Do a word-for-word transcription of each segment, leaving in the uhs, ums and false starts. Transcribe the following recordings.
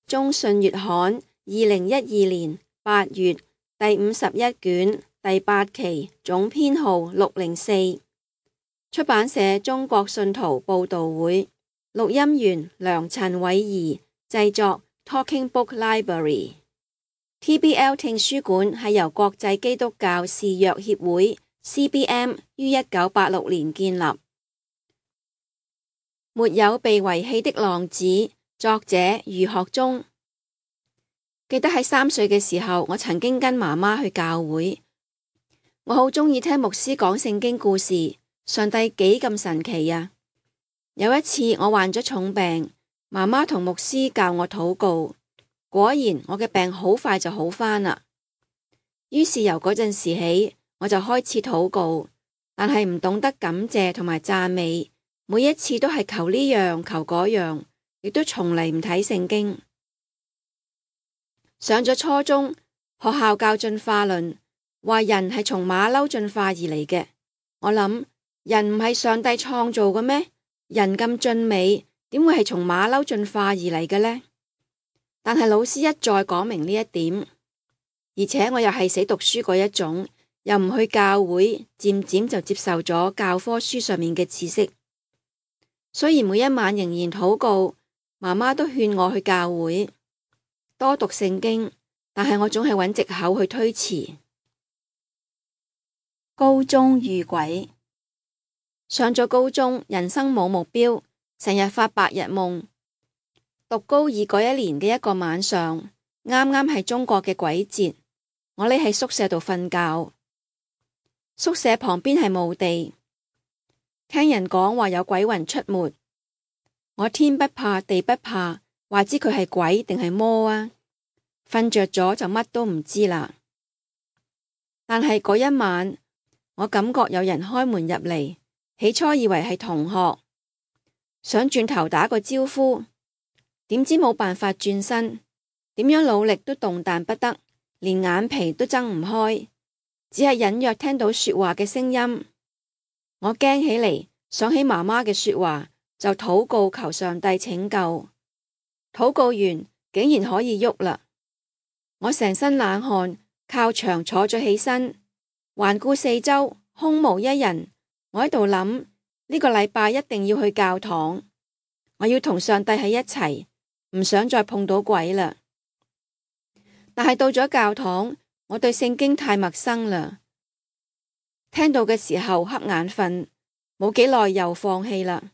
中信月刊二零一二年八月第五十一卷第八期總編號六零四，出版社中國信徒報道會，錄音員梁陳偉儀，製作 Talking Book Library。T B L 聽書館係由國際基督教視約協會 C B M 於一九八六年建立。沒有被遺棄的浪子，作者余學忠。記得喺三歲嘅時候，我曾經跟媽媽去教會。我好鍾意聽牧師講聖經故事，上帝幾咁神奇啊！有一次我患咗重病，媽媽同牧師教我禱告，果然我嘅病好快就好返啦。於是由嗰陣時起，我就開始禱告，但係唔懂得感謝同埋讚美。每一次都係求呢樣求嗰樣，亦都從嚟唔睇聖經。上咗初中，學校教進化論，話人係從馬騮進化而嚟嘅。我諗人唔係上帝創造嘅咩？人咁俊美，點會係從馬騮進化而嚟嘅呢？但係老師一再講明呢一點，而且我又係死讀書嗰一種，又唔去教會，漸漸就接受咗教科書上面嘅知識。雖然每一晚仍然禱告，媽媽都勸我去教會多讀聖經，但係我總係揾藉口去推辭。高中遇鬼，上咗高中，人生冇目標，成日發白日夢。讀高二嗰一年嘅一個晚上，啱啱係中國嘅鬼節，我匿喺宿舍度瞓覺。宿舍旁邊係墓地。聽人講話有鬼魂出沒，我天不怕地不怕，話知佢係鬼定係魔啊！瞓着咗就乜都唔知啦。但係嗰一晚，我感覺有人開門入嚟，起初以為係同學，想轉頭打個招呼，點知冇辦法轉身，點樣努力都動彈不得，連眼皮都睜唔開，只係隱約聽到說話嘅聲音。我驚起嚟，想起媽媽嘅說話，就禱告求上帝拯救。禱告完，竟然可以喐啦！我成身冷汗，靠牆坐咗起身，環顧四周，空無一人。我喺度諗，呢個禮拜一定要去教堂，我要同上帝喺一齊，唔想再碰到鬼啦。但係到咗教堂，我對聖經太陌生啦。聽到嘅時候瞌眼瞓，冇幾耐又放棄啦。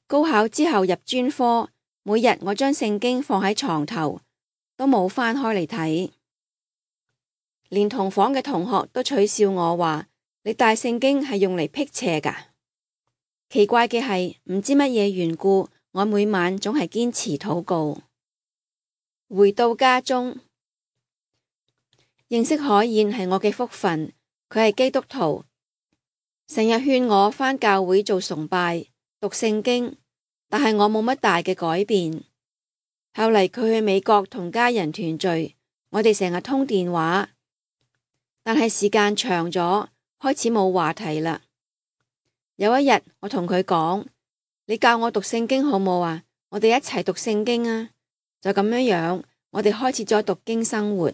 高考之後入專科，每日我將聖經放喺床頭，都冇翻開嚟睇。連同房嘅同學都取笑我話：你帶聖經係用嚟辟邪㗎。奇怪嘅係，唔知乜嘢緣故，我每晚總係堅持禱告。回到家中，認識海燕係我嘅福分，佢係基督徒。成日勸我返教會做崇拜、讀聖經，但係我冇乜大嘅改變。後嚟佢去美國同家人團聚，我哋成日通電話，但係時間長咗，開始冇話題啦。有一日我同佢講：你教我讀聖經好冇啊？我哋一齊讀聖經啊！就咁樣樣，我哋開始咗讀經生活。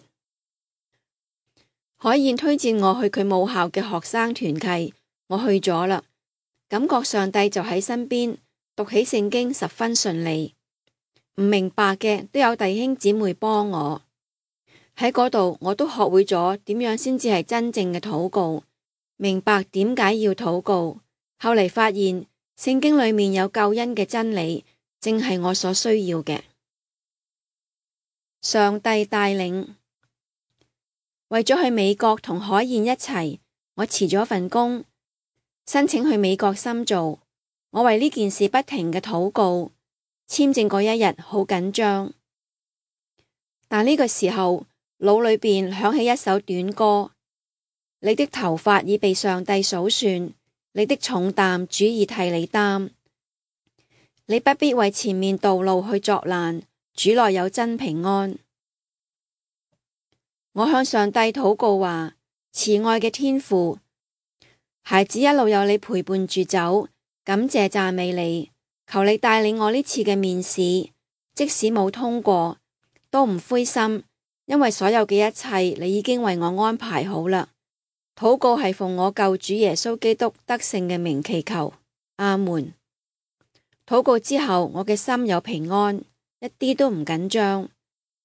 海燕推薦我去佢母校嘅學生團契。我去咗啦，感覺上帝就喺身邊，讀起聖經十分順利。唔明白嘅都有弟兄姊妹幫我。喺嗰度我都學會咗點樣先至係真正嘅禱告，明白點解要禱告。後嚟發現聖經裏面有救恩嘅真理，正係我所需要嘅。上帝帶領，為咗去美國同海燕一齊，我辭咗份工。申請去美國深造，我為呢件事不停嘅禱告。簽證嗰一日好緊張，但呢個時候腦裏邊響起一首短歌：你的頭髮已被上帝數算，你的重擔主已替你擔，你不必為前面道路去作難，主內有真平安。我向上帝禱告話：慈愛嘅天父，孩子一路有你陪伴住走，感謝讚美你，求你帶領我呢次嘅面試，即使冇通過，都唔灰心，因為所有嘅一切你已經為我安排好啦。禱告係奉我救主耶穌基督得勝嘅名祈求，阿門。禱告之後，我嘅心有平安，一啲都唔緊張。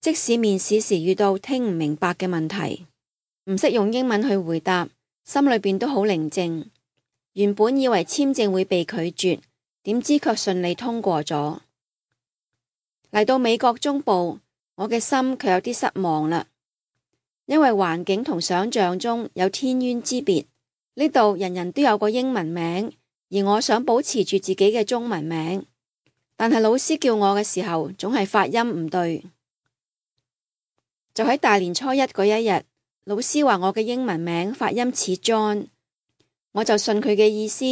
即使面試時遇到聽唔明白嘅問題，唔識用英文去回答，心裏邊都好寧靜。原本以為簽證會被拒絕，點知卻順利通過咗。嚟到美國中部，我嘅心卻有啲失望啦，因為環境同想象中有天淵之別。呢度人人都有個英文名，而我想保持住自己嘅中文名，但係老師叫我嘅時候，總係發音唔對。就喺大年初一嗰一日，老師話我嘅英文名發音似 John， 我就信佢嘅意思，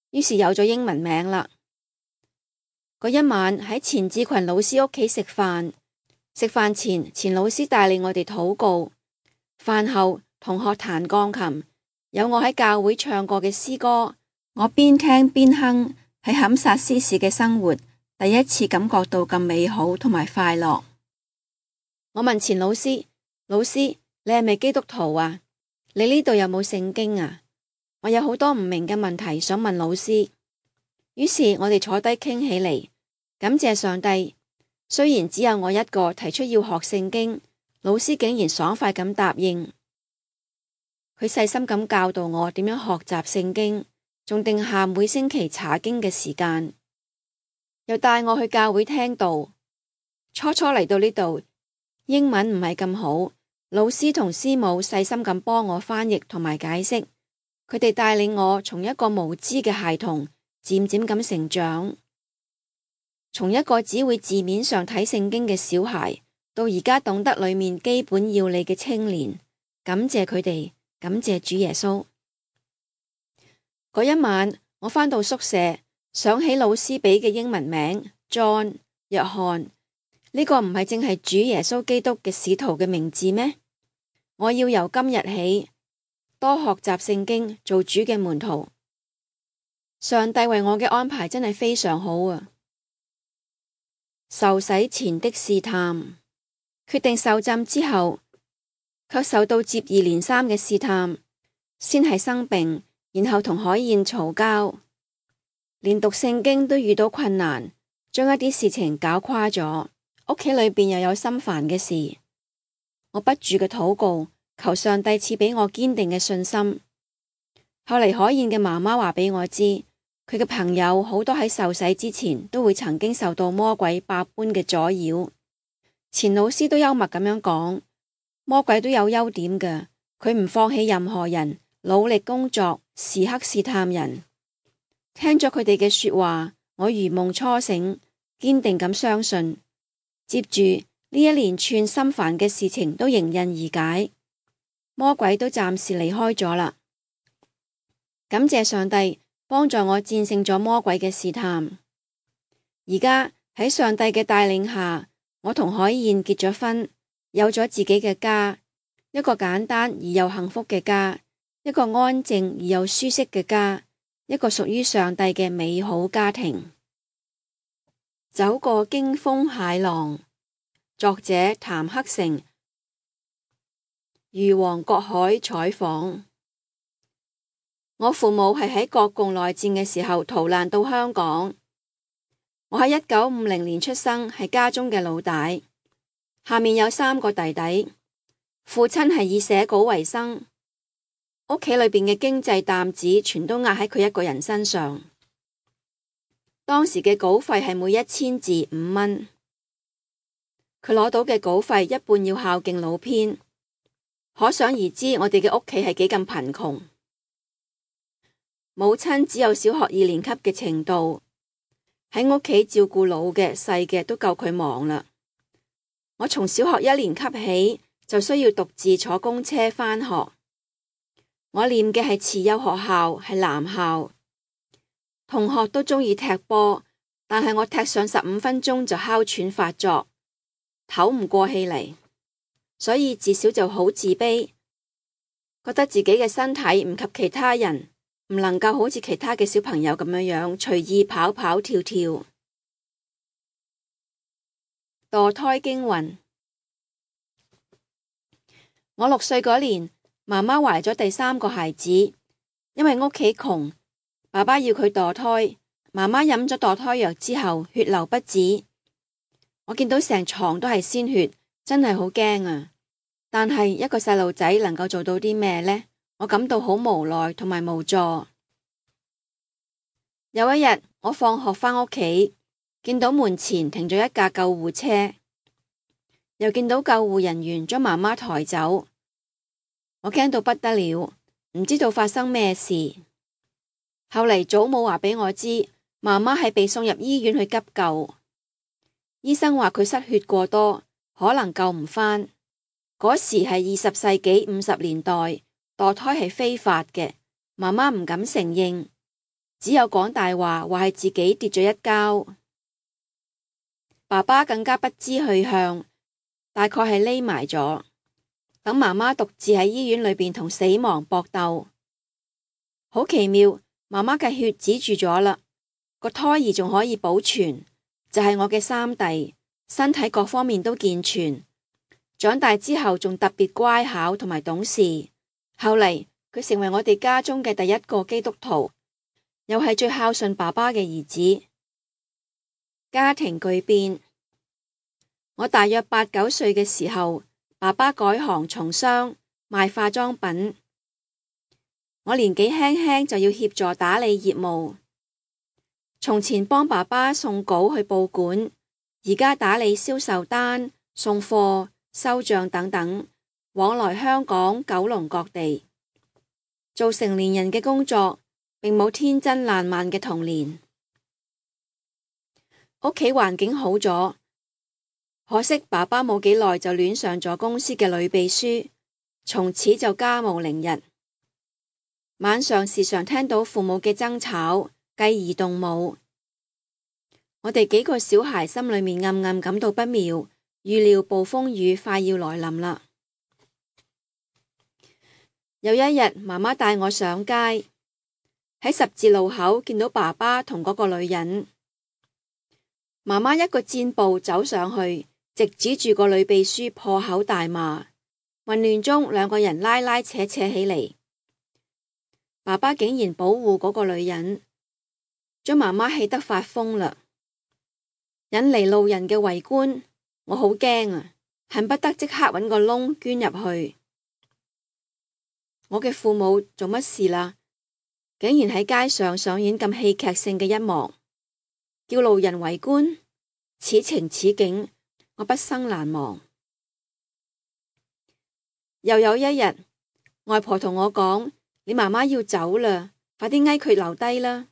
於是有咗英文名啦。嗰一晚喺錢志群老師屋企食飯，食飯前錢老師帶領我哋禱告，飯後同學彈鋼琴，有我喺教會唱過嘅詩歌，我邊聽邊哼，喺堪薩斯市嘅生活，第一次感覺到咁美好同埋快樂。我問錢老師：老師，你係咪基督徒啊？你呢度有冇聖經啊？我有好多唔明嘅問題想問老師。於是我哋坐低傾起嚟，感謝上帝。雖然只有我一個提出要學聖經，老師竟然爽快咁答應。佢細心咁教導我點樣學習聖經，仲定下每星期查經嘅時間，又帶我去教會聽道。初初嚟到呢度，英文唔係咁好，老師同師母細心咁幫我翻譯同埋解釋，佢哋帶領我從一個無知嘅孩童漸漸咁成長，從一個只會字面上睇聖經嘅小孩，到而家懂得裏面基本要理嘅青年。感謝佢哋，感謝主耶穌。嗰一晚我返到宿舍，想起老師俾嘅英文名 John 約翰。呢個唔係淨係主耶穌基督嘅使徒嘅名字咩？我要由今日起多學習聖經，做主嘅門徒。上帝為我嘅安排真係非常好啊！受洗前的試探，決定受浸之後，卻受到接二連三嘅試探，先係生病，然後同海燕嘈交，連讀聖經都遇到困難，將一啲事情搞垮咗。屋企裏邊又有心煩嘅事，我不住嘅禱告，求上帝賜俾我堅定嘅信心。後嚟海燕嘅媽媽話俾我知，佢嘅朋友好多喺受洗之前都會曾經受到魔鬼百般嘅阻擾。錢老師都幽默咁樣講，魔鬼都有優點嘅，佢唔放棄任何人，努力工作，時刻試探人。聽咗佢哋嘅說話，我如夢初醒，堅定咁相信。接住呢一連串心煩嘅事情都迎刃而解，魔鬼都暫時離開咗啦。感謝上帝幫助我戰勝咗魔鬼嘅試探。而家喺上帝嘅帶領下，我同海燕結咗婚，有咗自己嘅家，一個簡單而又幸福嘅家，一個安靜而又舒適嘅家，一個屬於上帝嘅美好家庭。走過驚風駭浪，作者譚克成，漁王郭海採訪。我父母係喺國共內戰嘅時候逃難到香港。我喺一九五零年出生，係家中嘅老大，下面有三個弟弟。父親係以寫稿為生，屋企裏邊嘅經濟擔子全都壓喺佢一個人身上。當時嘅稿費係每一千字五蚊，佢攞到嘅稿費一半要孝敬老編，可想而知我哋嘅屋企係幾咁貧窮。母親只有小學二年級嘅程度，喺屋企照顧老嘅細嘅都夠佢忙啦。我從小學一年級起就需要獨自坐公車返學。我念嘅係慈幼學校，係男校。同學都鍾意踢波，但係我踢上十五分鐘就哮喘發作，唞唔過氣嚟，所以自小就好自卑，覺得自己嘅身體唔及其他人，唔能夠好似其他嘅小朋友咁樣樣隨意跑跑跳跳。墮胎經雲，我六歲嗰年，媽媽懷咗第三個孩子，因為屋企窮，爸爸要佢墮胎，媽媽飲咗墮胎藥之後，血流不止。我見到成床都係鮮血，真係好驚啊！但係一個細路仔能夠做到啲咩呢？我感到好無奈同埋無助。有一日，我放學返屋企，見到門前停咗一架救護車，又見到救護人員將媽媽抬走，我驚到不得了，唔知道發生咩事。後嚟祖母話俾我知，媽媽係被送入醫院去急救，醫生話佢失血過多，可能救唔返。嗰時係二十世紀五十年代，墮胎係非法嘅，媽媽唔敢承認，只有講大話，話係自己跌咗一跤。爸爸更加不知去向，大概係匿埋咗，等媽媽獨自喺醫院裏邊同死亡搏鬥。好奇妙，媽媽嘅血止住咗啦，個胎兒仲可以保存，就係我嘅三弟，身體各方面都健全，長大之後仲特別乖巧同埋懂事。後嚟佢成為我哋家中嘅第一個基督徒，又係最孝順爸爸嘅兒子。家庭巨變，我大約八九歲嘅時候，爸爸改行從商，賣化妝品。我年紀輕輕就要協助打理業務。從前幫爸爸送稿去報館，而家打理銷售單、送貨、收賬等等，往來香港、九龍各地。做成年人嘅工作，並冇天真爛漫嘅童年。屋企環境好咗，可惜爸爸冇幾耐就戀上咗公司嘅女秘書，從此就家務凌日。晚上時常聽到父母嘅爭吵，繼而動武。我哋幾個小孩心裏面暗暗感到不妙，預料暴風雨快要來臨啦。有一日，媽媽帶我上街，喺十字路口見到爸爸同嗰個女人。媽媽一個箭步走上去，直指住個女秘書破口大罵。混亂中，兩個人拉拉扯扯起嚟。爸爸竟然保護嗰個女人，將媽媽氣得發瘋啦，引嚟路人嘅圍觀。我好驚啊，恨不得即刻搵個窿捐入去。我嘅父母做乜事啦？竟然喺街上上演咁戲劇性嘅一幕，叫路人圍觀。此情此景，我畢生難忘。又有一日，外婆同我講：你媽媽要走啦，快啲嗌佢留低啦！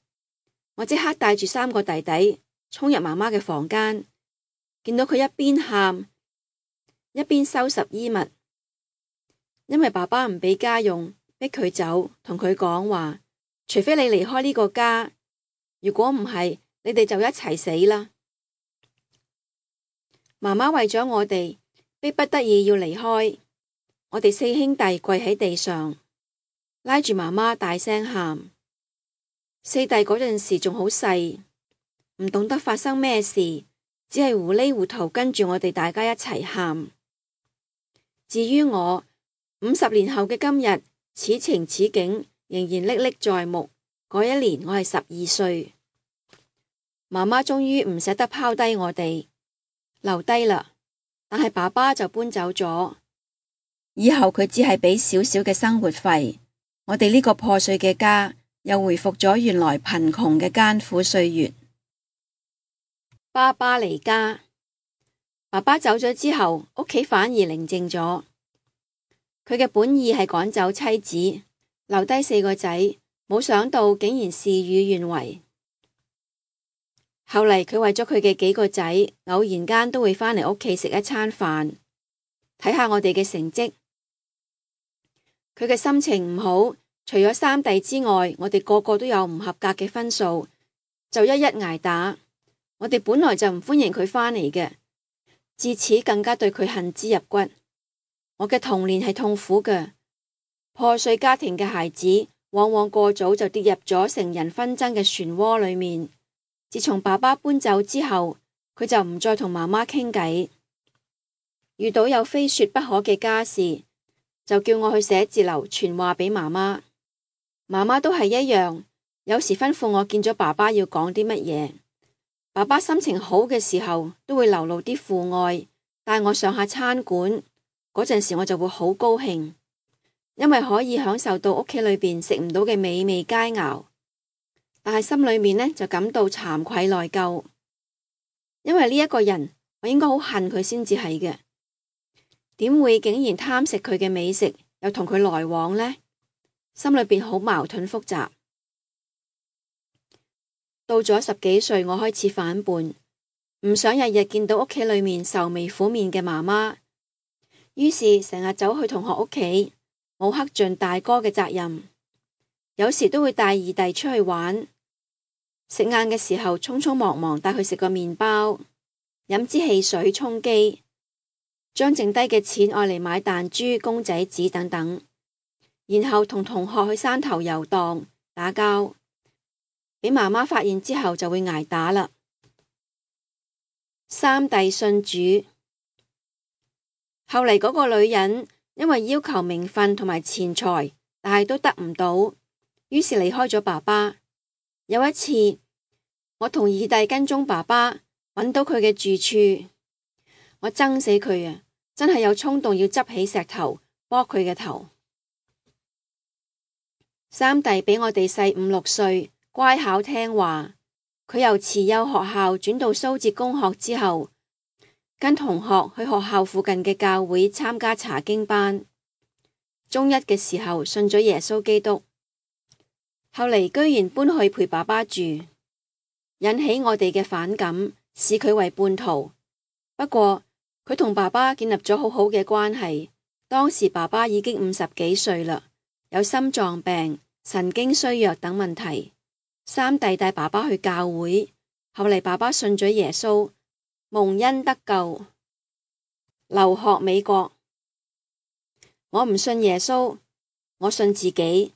我即刻帶住三個弟弟衝入媽媽嘅房間，見到佢一邊喊一邊收拾衣物，因為爸爸唔俾家用，逼佢走，同佢講話：除非你離開呢個家，如果唔係，你哋就一齊死啦！媽媽為咗我哋，逼不得已要離開。我哋四兄弟跪喺地上，拉住媽媽大聲喊。四弟嗰陣時仲好細，唔懂得發生咩事，只係糊裡糊塗跟住我哋大家一齊喊。至於我，五十年後嘅今日，此情此景仍然歷歷在目。嗰一年我係十二歲，媽媽終於唔捨得拋低我哋，留低啦。但係爸爸就搬走咗，以後佢只係俾少少嘅生活費，我哋呢個破碎嘅家又回復咗原來貧窮嘅艱苦歲月。爸爸離家，爸爸走咗之後，屋企反而寧靜咗。佢嘅本意係趕走妻子，留低四個仔，冇想到竟然事與願違。後嚟佢為咗佢嘅幾個仔，偶然間都會返嚟屋企食一餐飯，睇下我哋嘅成績。佢嘅心情唔好，除咗三弟之外，我哋個個都有唔合格嘅分數，就一一捱打。我哋本來就唔歡迎佢返嚟嘅，自此更加對佢恨之入骨。我嘅童年係痛苦嘅，破碎家庭嘅孩子往往過早就跌入咗成人紛爭嘅漩渦裏面。自從爸爸搬走之後，佢就唔再同媽媽傾偈。遇到有非說不可嘅家事，就叫我去寫字樓傳話俾媽媽。媽媽都係一樣，有時吩咐我見咗爸爸要講啲乜嘢。爸爸心情好嘅時候都會流露啲父愛，帶我上下餐館，嗰陣時我就會好高興，因為可以享受到屋企裏邊食唔到嘅美味佳肴。但係心裏面呢，就感到慚愧內疚，因為呢一個人我應該好恨佢先至係嘅，點會竟然貪食佢嘅美食，又同佢來往呢？心裏邊好矛盾複雜。到咗十幾歲，我開始反叛，唔想日日見到屋企裏面愁眉苦面嘅媽媽，於是成日走去同學屋企，冇恪盡大哥嘅責任。有時都會帶二弟出去玩，食晏嘅時候匆匆忙忙帶佢食個麵包，飲支汽水充飢，將剩低嘅錢愛嚟買彈珠、公仔紙等等，然後同同學去山頭遊蕩打交，俾媽媽發現之後就會挨打啦。三弟信主，後嚟嗰個女人因為要求名分同埋錢財，但係都得唔到，於是離開咗爸爸。有一次，我同二弟跟蹤爸爸，揾到佢嘅住處，我憎死佢啊！真係有衝動要執起石頭剝佢嘅頭。三弟比我哋細五六歲，乖巧聽話。佢由慈幼學校轉到蘇浙公學之後，跟同學去學校附近嘅教會參加查經班。中一嘅時候信咗耶穌基督，後嚟居然搬去陪爸爸住，引起我哋嘅反感，視佢為叛徒。不過佢同爸爸建立咗好好嘅關係。當時爸爸已經五十幾歲啦，有心臟病、神經衰弱等問題。三弟帶爸爸去教會，後嚟爸爸信咗耶穌，蒙恩得救，留學美國。我唔信耶穌，我信自己。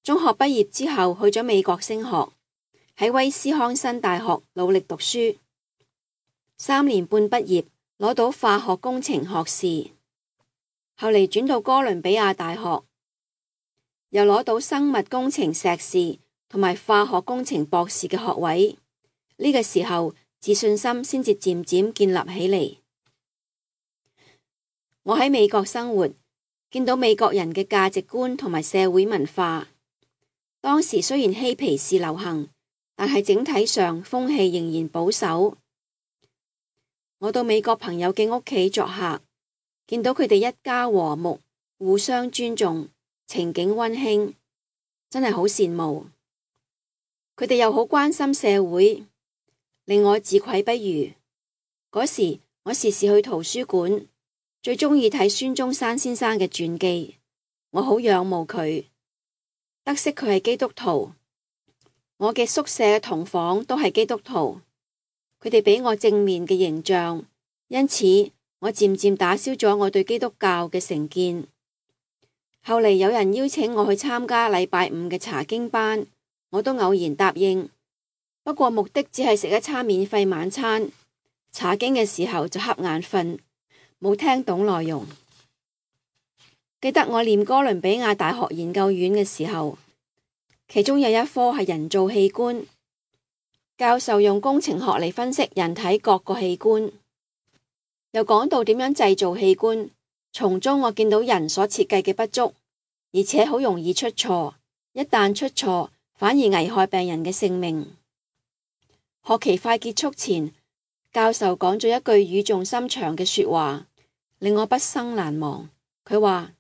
中學畢業之後去咗美國升學，喺威斯康辛大學努力讀書，三年半畢業，攞到化學工程學士。後嚟轉到哥倫比亞大學，又攞到生物工程碩士同埋化學工程博士嘅學位。呢個時候自信心先至漸漸建立起嚟。我喺美國生活，見到美國人嘅價值觀同埋社會文化。當時雖然嬉皮士流行，但係整體上風氣仍然保守。我到美國朋友嘅屋企作客，見到佢哋一家和睦，互相尊重，情景溫馨，真係好羨慕。佢哋又好關心社會，令我自愧不如。嗰時我時時去圖書館，最鍾意睇孫中山先生嘅傳記，我好仰慕佢。得悉佢係基督徒，我嘅宿舍嘅同房都係基督徒，佢哋俾我正面嘅形象，因此我漸漸打消咗我對基督教嘅成見。後嚟有人邀請我去參加禮拜五嘅查經班，我都偶然答應，不過目的只係食一餐免費晚餐，查經嘅時候就瞌眼瞓，冇聽懂內容。記得我念哥倫比亞大學研究院嘅時候，其中有一科係人造器官，教授用工程學嚟分析人體各個器官，又講到點樣製造器官，從中我見到人所設計嘅不足，而且好容易出錯，一旦出錯反而危害病人嘅性命。學期快結束前，教授講咗一句語重心長嘅說話，令我畢生難忘。佢話：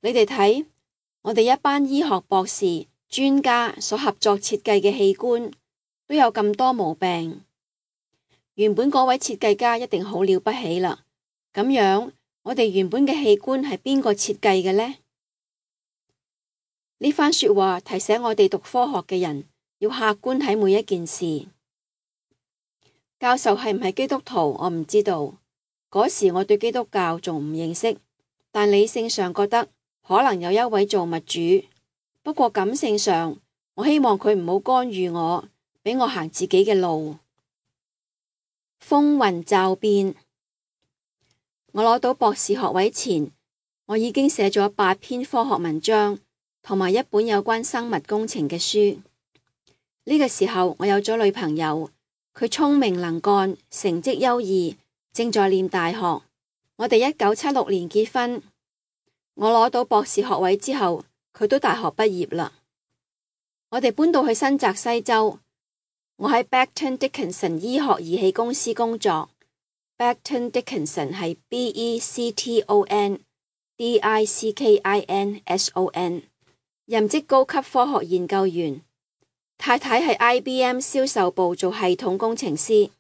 你哋睇，我哋一班醫學博士專家所合作設計嘅器官都有咁多毛病，原本嗰位設計家一定好了不起啦。咁樣，我哋原本嘅器官係邊個設計嘅呢？呢番說話提醒我哋讀科學嘅人要客觀睇每一件事。教授係唔係基督徒，我唔知道。嗰時我對基督教仲唔認識，但理性上覺得可能有一位造物主。不過感性上，我希望佢唔好干預我，俾我行自己嘅路。風雲驟變，我攞到博士學位前，我已經寫咗八篇科學文章同埋一本有關生物工程嘅書。呢個時候我有咗女朋友，佢聰明能幹，成績優異，正在念大學。我哋一九七六年結婚，我攞到博士學位之後，佢都大學畢業啦。我哋搬到去新澤西州，我喺 Becton Dickinson 醫學儀器公司工作。Becton Dickinson 係 B E C T O N D I C K I N S O N， 任職高級科學研究員。太太係 I B M 銷售部做系統工程師。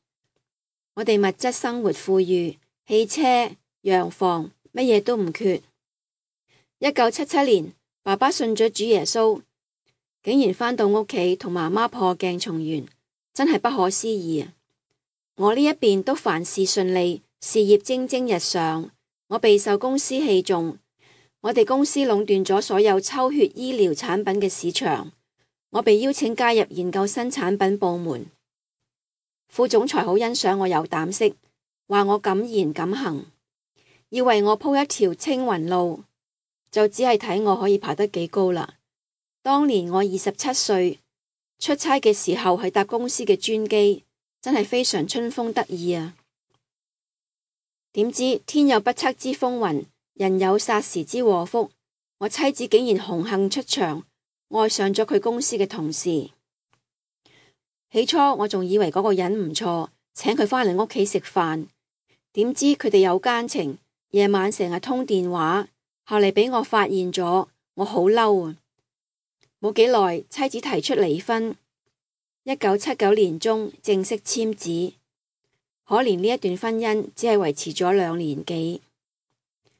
我哋物質生活富裕，汽車、洋房，乜嘢都唔缺。一九七七年，爸爸信咗主耶穌，竟然返到屋企同媽媽破鏡重圓，真係不可思議啊！我呢一邊都凡事順利，事業蒸蒸日上，我備受公司器重。我哋公司壟斷咗所有抽血醫療產品嘅市場，我被邀請加入研究新產品部門。副總裁好欣賞我有膽識，話我敢言敢行，要為我鋪一條青雲路，就只係睇我可以爬得幾高啦。當年我二十七歲，出差嘅時候係搭公司嘅專機，真係非常春風得意啊！點知天有不測之風雲，人有霎時之禍福，我妻子竟然紅杏出牆，愛上咗佢公司嘅同事。起初我仲以為嗰個人唔錯，請佢返嚟屋企食飯，點知佢哋有奸情，夜晚成日通電話。後嚟俾我發現咗，我好嬲啊！冇幾耐，妻子提出離婚。一九七九年中正式簽字。可憐呢一段婚姻只係維持咗兩年幾。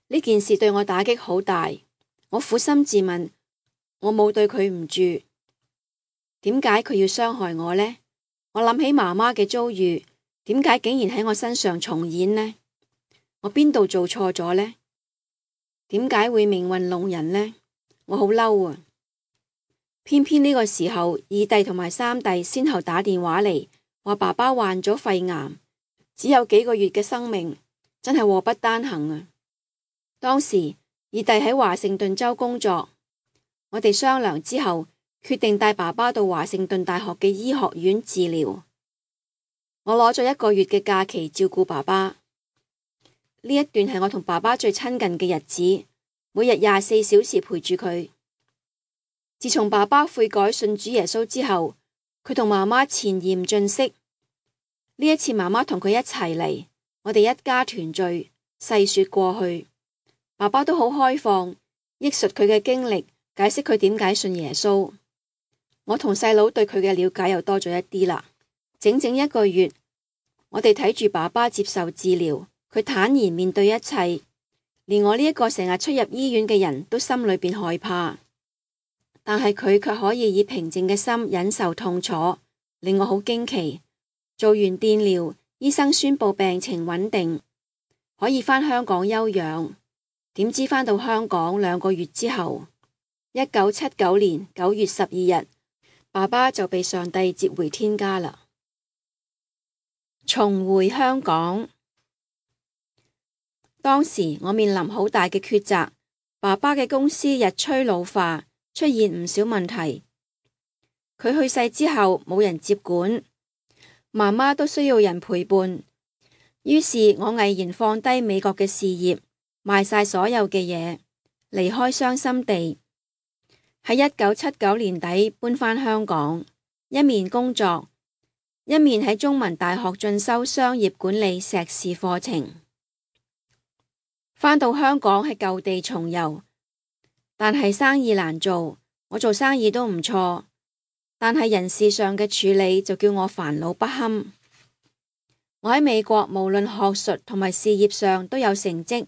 呢件事對我打擊好大，我苦心自問，我冇對佢唔住，點解佢要傷害我呢？我諗起媽媽嘅遭遇，點解竟然喺我身上重演呢？我邊度做錯咗呢？點解會命運弄人呢？我好嬲啊！偏偏呢個時候，二弟同埋三弟先後打電話嚟，話爸爸患咗肺癌，只有幾個月嘅生命，真係禍不單行啊！當時二弟喺華盛頓州工作，我哋商量之後，決定帶爸爸到華盛頓大學嘅醫學院治療。我攞咗一個月嘅假期照顧爸爸。呢一段係我同爸爸最親近嘅日子，每日廿四小時陪住佢。自從爸爸悔改信主耶穌之後，佢同媽媽前嫌盡釋。呢一次媽媽同佢一齊嚟，我哋一家團聚，細說過去。爸爸都好開放，憶述佢嘅經歷，解釋佢點解信耶穌。我同細佬對佢嘅了解又多咗一啲啦。整整一個月，我哋睇住爸爸接受治療，佢坦然面對一切，連我呢一個成日出入醫院嘅人都心裏邊害怕。但係佢卻可以以平靜嘅心忍受痛楚，令我好驚奇。做完電療，醫生宣布病情穩定，可以返香港休養。點知返到香港兩個月之後，一九七九年九月十二日，爸爸就被上帝接回天家啦。重回香港，當時我面臨好大嘅抉擇。爸爸嘅公司日趨老化，出現唔少問題。佢去世之後冇人接管，媽媽都需要人陪伴。於是我毅然放低美國嘅事業，賣晒所有嘅嘢，離開傷心地。喺一九七九年底搬返香港，一面工作，一面喺中文大學進修商業管理碩士課程。返到香港係舊地重遊，但係生意難做。我做生意都唔錯，但係人事上嘅處理就叫我煩惱不堪。我喺美國無論學術同埋事業上都有成績，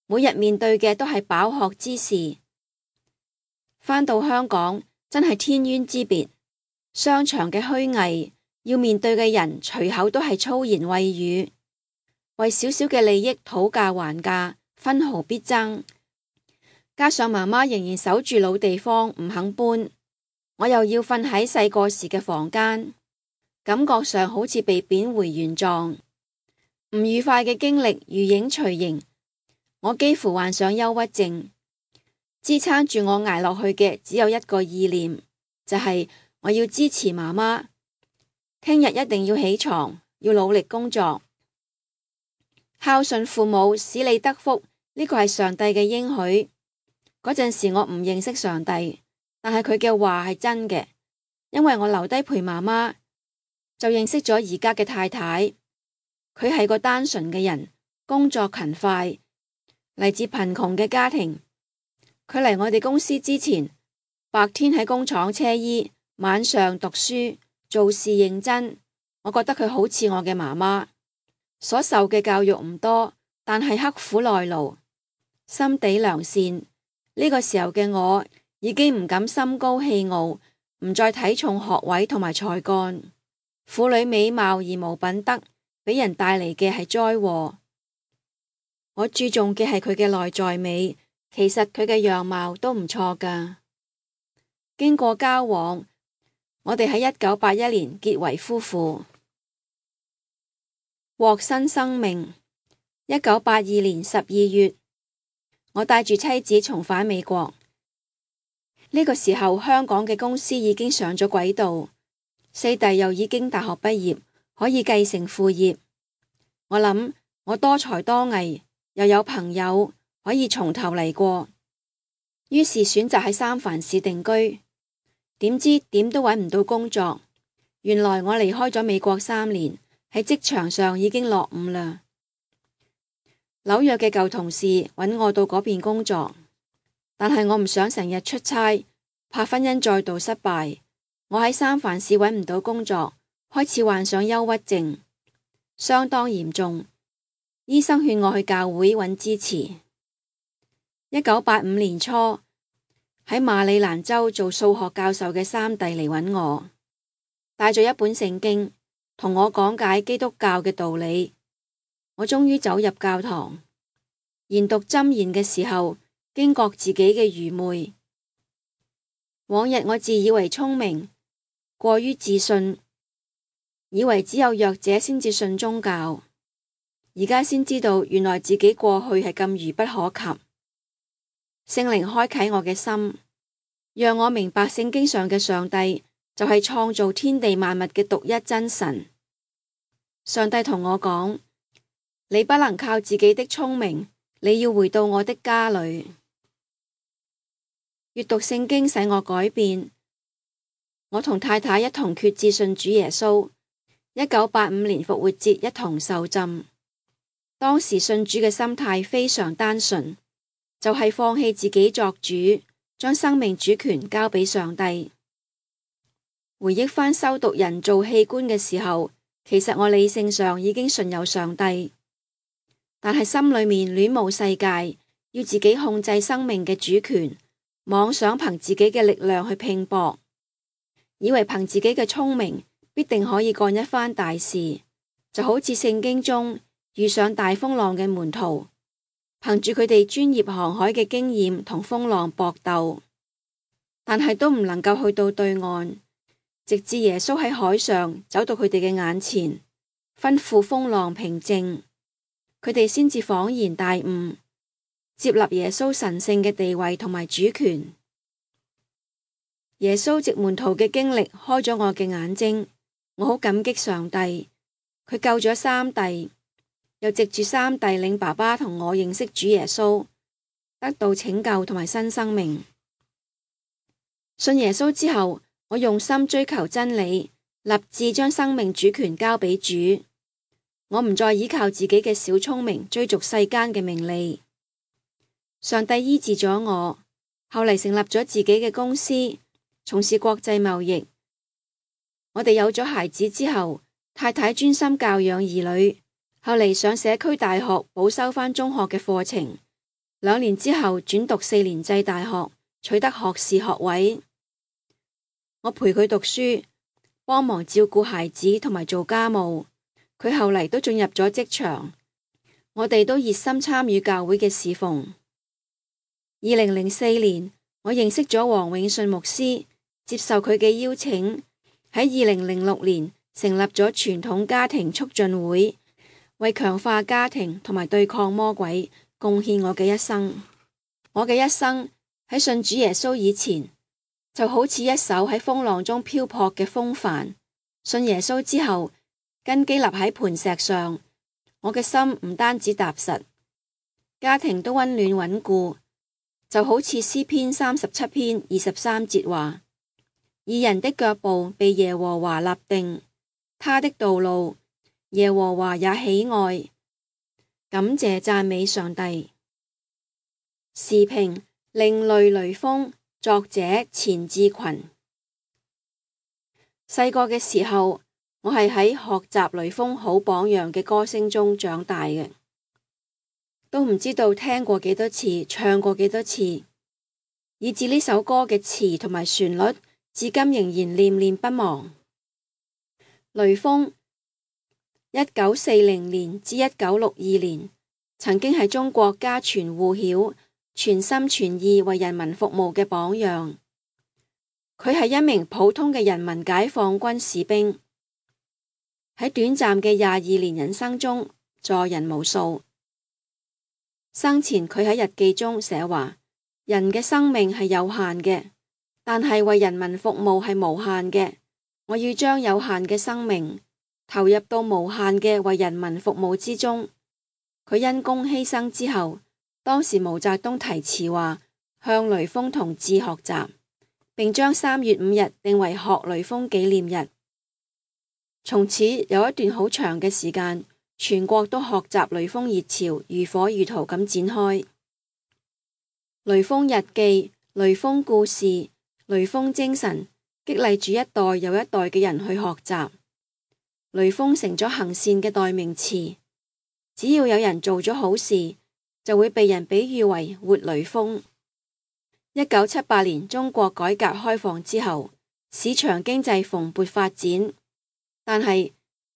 每日面對嘅都係飽學之事。返到香港真係天淵之別，商場嘅虛偽，要面對嘅人隨口都係粗言穢語，為少少嘅利益討價還價，分毫必爭。加上媽媽仍然守住老地方唔肯搬，我又要瞓喺細個時嘅房間，感覺上好似被貶回原狀。唔愉快嘅經歷如影隨形，我幾乎患上憂鬱症，支撐住我捱落去嘅只有一個意念，就係我要支持媽媽，聽日一定要起床，要努力工作。孝順父母使你得福，呢個係上帝嘅應許。嗰陣時我唔認識上帝，但係佢嘅話係真嘅，因為我留低陪媽媽，就認識咗而家嘅太太。佢係個單純嘅人，工作勤快，嚟自貧窮嘅家庭。佢嚟我哋公司之前，白天喺工廠車衣，晚上讀書，做事認真。我覺得佢好似我嘅媽媽。所受嘅教育唔多，但係刻苦耐勞，心地良善。呢個時候嘅我已經唔敢心高氣傲，唔再睇重學位同埋才幹。婦女美貌而無品德，俾人帶嚟嘅係災禍。我注重嘅係佢嘅內在美，其實佢嘅樣貌都唔錯㗎。經過交往，我哋喺一九八一年結為夫婦，獲新生命。一九八二年十二月，我帶住妻子重返美國。呢個時候，香港嘅公司已經上咗軌道，四弟又已經大學畢業，可以繼承父業。我諗我多才多藝，又有朋友，可以從頭嚟過，於是選擇喺三藩市定居。點知點都揾唔到工作。原來我離開咗美國三年，喺職場上已經落伍啦。紐約嘅舊同事揾我到嗰邊工作，但係我唔想成日出差，怕婚姻再度失敗。我喺三藩市揾唔到工作，開始患上憂鬱症，相當嚴重。醫生勸我去教會揾支持。一九八五年初，喺馬里蘭州做數學教授嘅三弟嚟揾我，帶咗一本聖經，同我講解基督教嘅道理。我終於走入教堂，研讀箴言嘅時候，驚覺自己嘅愚昧。往日我自以為聰明，過於自信，以為只有弱者先至信宗教。而家先知道，原來自己過去係咁愚不可及。聖靈開啟我嘅心，讓我明白聖經上嘅上帝就係創造天地萬物嘅獨一真神。上帝同我講：你不能靠自己的聰明，你要回到我的家裏。閱讀聖經使我改變，我同太太一同決志信主耶穌。一九八五年復活節一同受浸。當時信主嘅心態非常單純，就係放棄自己作主，將生命主權交俾上帝。回憶返修讀人造器官嘅時候，其實我理性上已經信有上帝，但係心裏面戀慕世界，要自己控制生命嘅主權，妄想憑自己嘅力量去拼搏，以為憑自己嘅聰明必定可以幹一番大事，就好似聖經中遇上大風浪嘅門徒，憑住佢哋專業航海嘅經驗同風浪搏鬥，但係都唔能夠去到對岸，直至耶穌喺海上走到佢哋嘅眼前，吩咐風浪平靜，佢哋先至恍然大悟，接納耶穌神聖嘅地位同埋主權。耶穌藉門徒嘅經歷開咗我嘅眼睛，我好感激上帝，佢救咗三弟。又藉住三弟領爸爸同我認識主耶穌，得到拯救同埋新生命。信耶穌之後，我用心追求真理，立志將生命主權交俾主。我唔再依靠自己嘅小聰明追逐世間嘅名利。上帝醫治咗我，後嚟成立咗自己嘅公司，從事國際貿易。我哋有咗孩子之後，太太專心教養兒女。後嚟上社區大學補修返中學嘅課程，兩年之後轉讀四年制大學，取得學士學位。我陪佢讀書，幫忙照顧孩子同埋做家務。佢後嚟都進入咗職場，我哋都熱心參與教會嘅侍奉。二零零四年，我認識咗黃永信牧師，接受佢嘅邀請，喺二零零六年成立咗傳統家庭促進會。為強化家庭同埋對抗魔鬼，貢獻我嘅一生。我嘅一生喺信主耶穌以前，就好似一艘喺風浪中漂泊嘅風帆。信耶穌之後，根基立喺磐石上，我嘅心唔單止踏實，家庭都溫暖穩固，就好似詩篇三十七篇二十三節話：義人的腳步被耶和華立定，他的道路耶和華也喜愛。感謝讚美上帝。時評：另類雷鋒，作者錢志群。細個嘅時候，我係喺學習雷鋒好榜樣嘅歌聲中長大嘅，都唔知道聽過幾多次，唱過幾多次，以至呢首歌嘅詞同埋旋律，至今仍然念念不忘。雷鋒一九四零年至一九六二年，曾經係中國家傳戶曉、全心全意為人民服務嘅榜樣。佢係一名普通嘅人民解放軍士兵，喺短暫嘅廿二年人生中助人無數。生前佢喺日記中寫話：人嘅生命係有限嘅，但係為人民服務係無限嘅。我要將有限嘅生命投入到無限嘅為人民服務之中。佢因公犧牲之後，當時毛澤東提詞話向雷鋒同志學習，並將三月五日定為學雷鋒紀念日。從此有一段好長嘅時間，全國都學習雷鋒熱潮如火如荼咁展開。雷鋒日記、雷鋒故事、雷鋒精神，激勵住一代又一代嘅人去學習。雷鋒成咗行善嘅代名詞，只要有人做咗好事，就會被人比喻為活雷鋒。一九七八年中國改革開放之後，市場經濟蓬勃發展，但係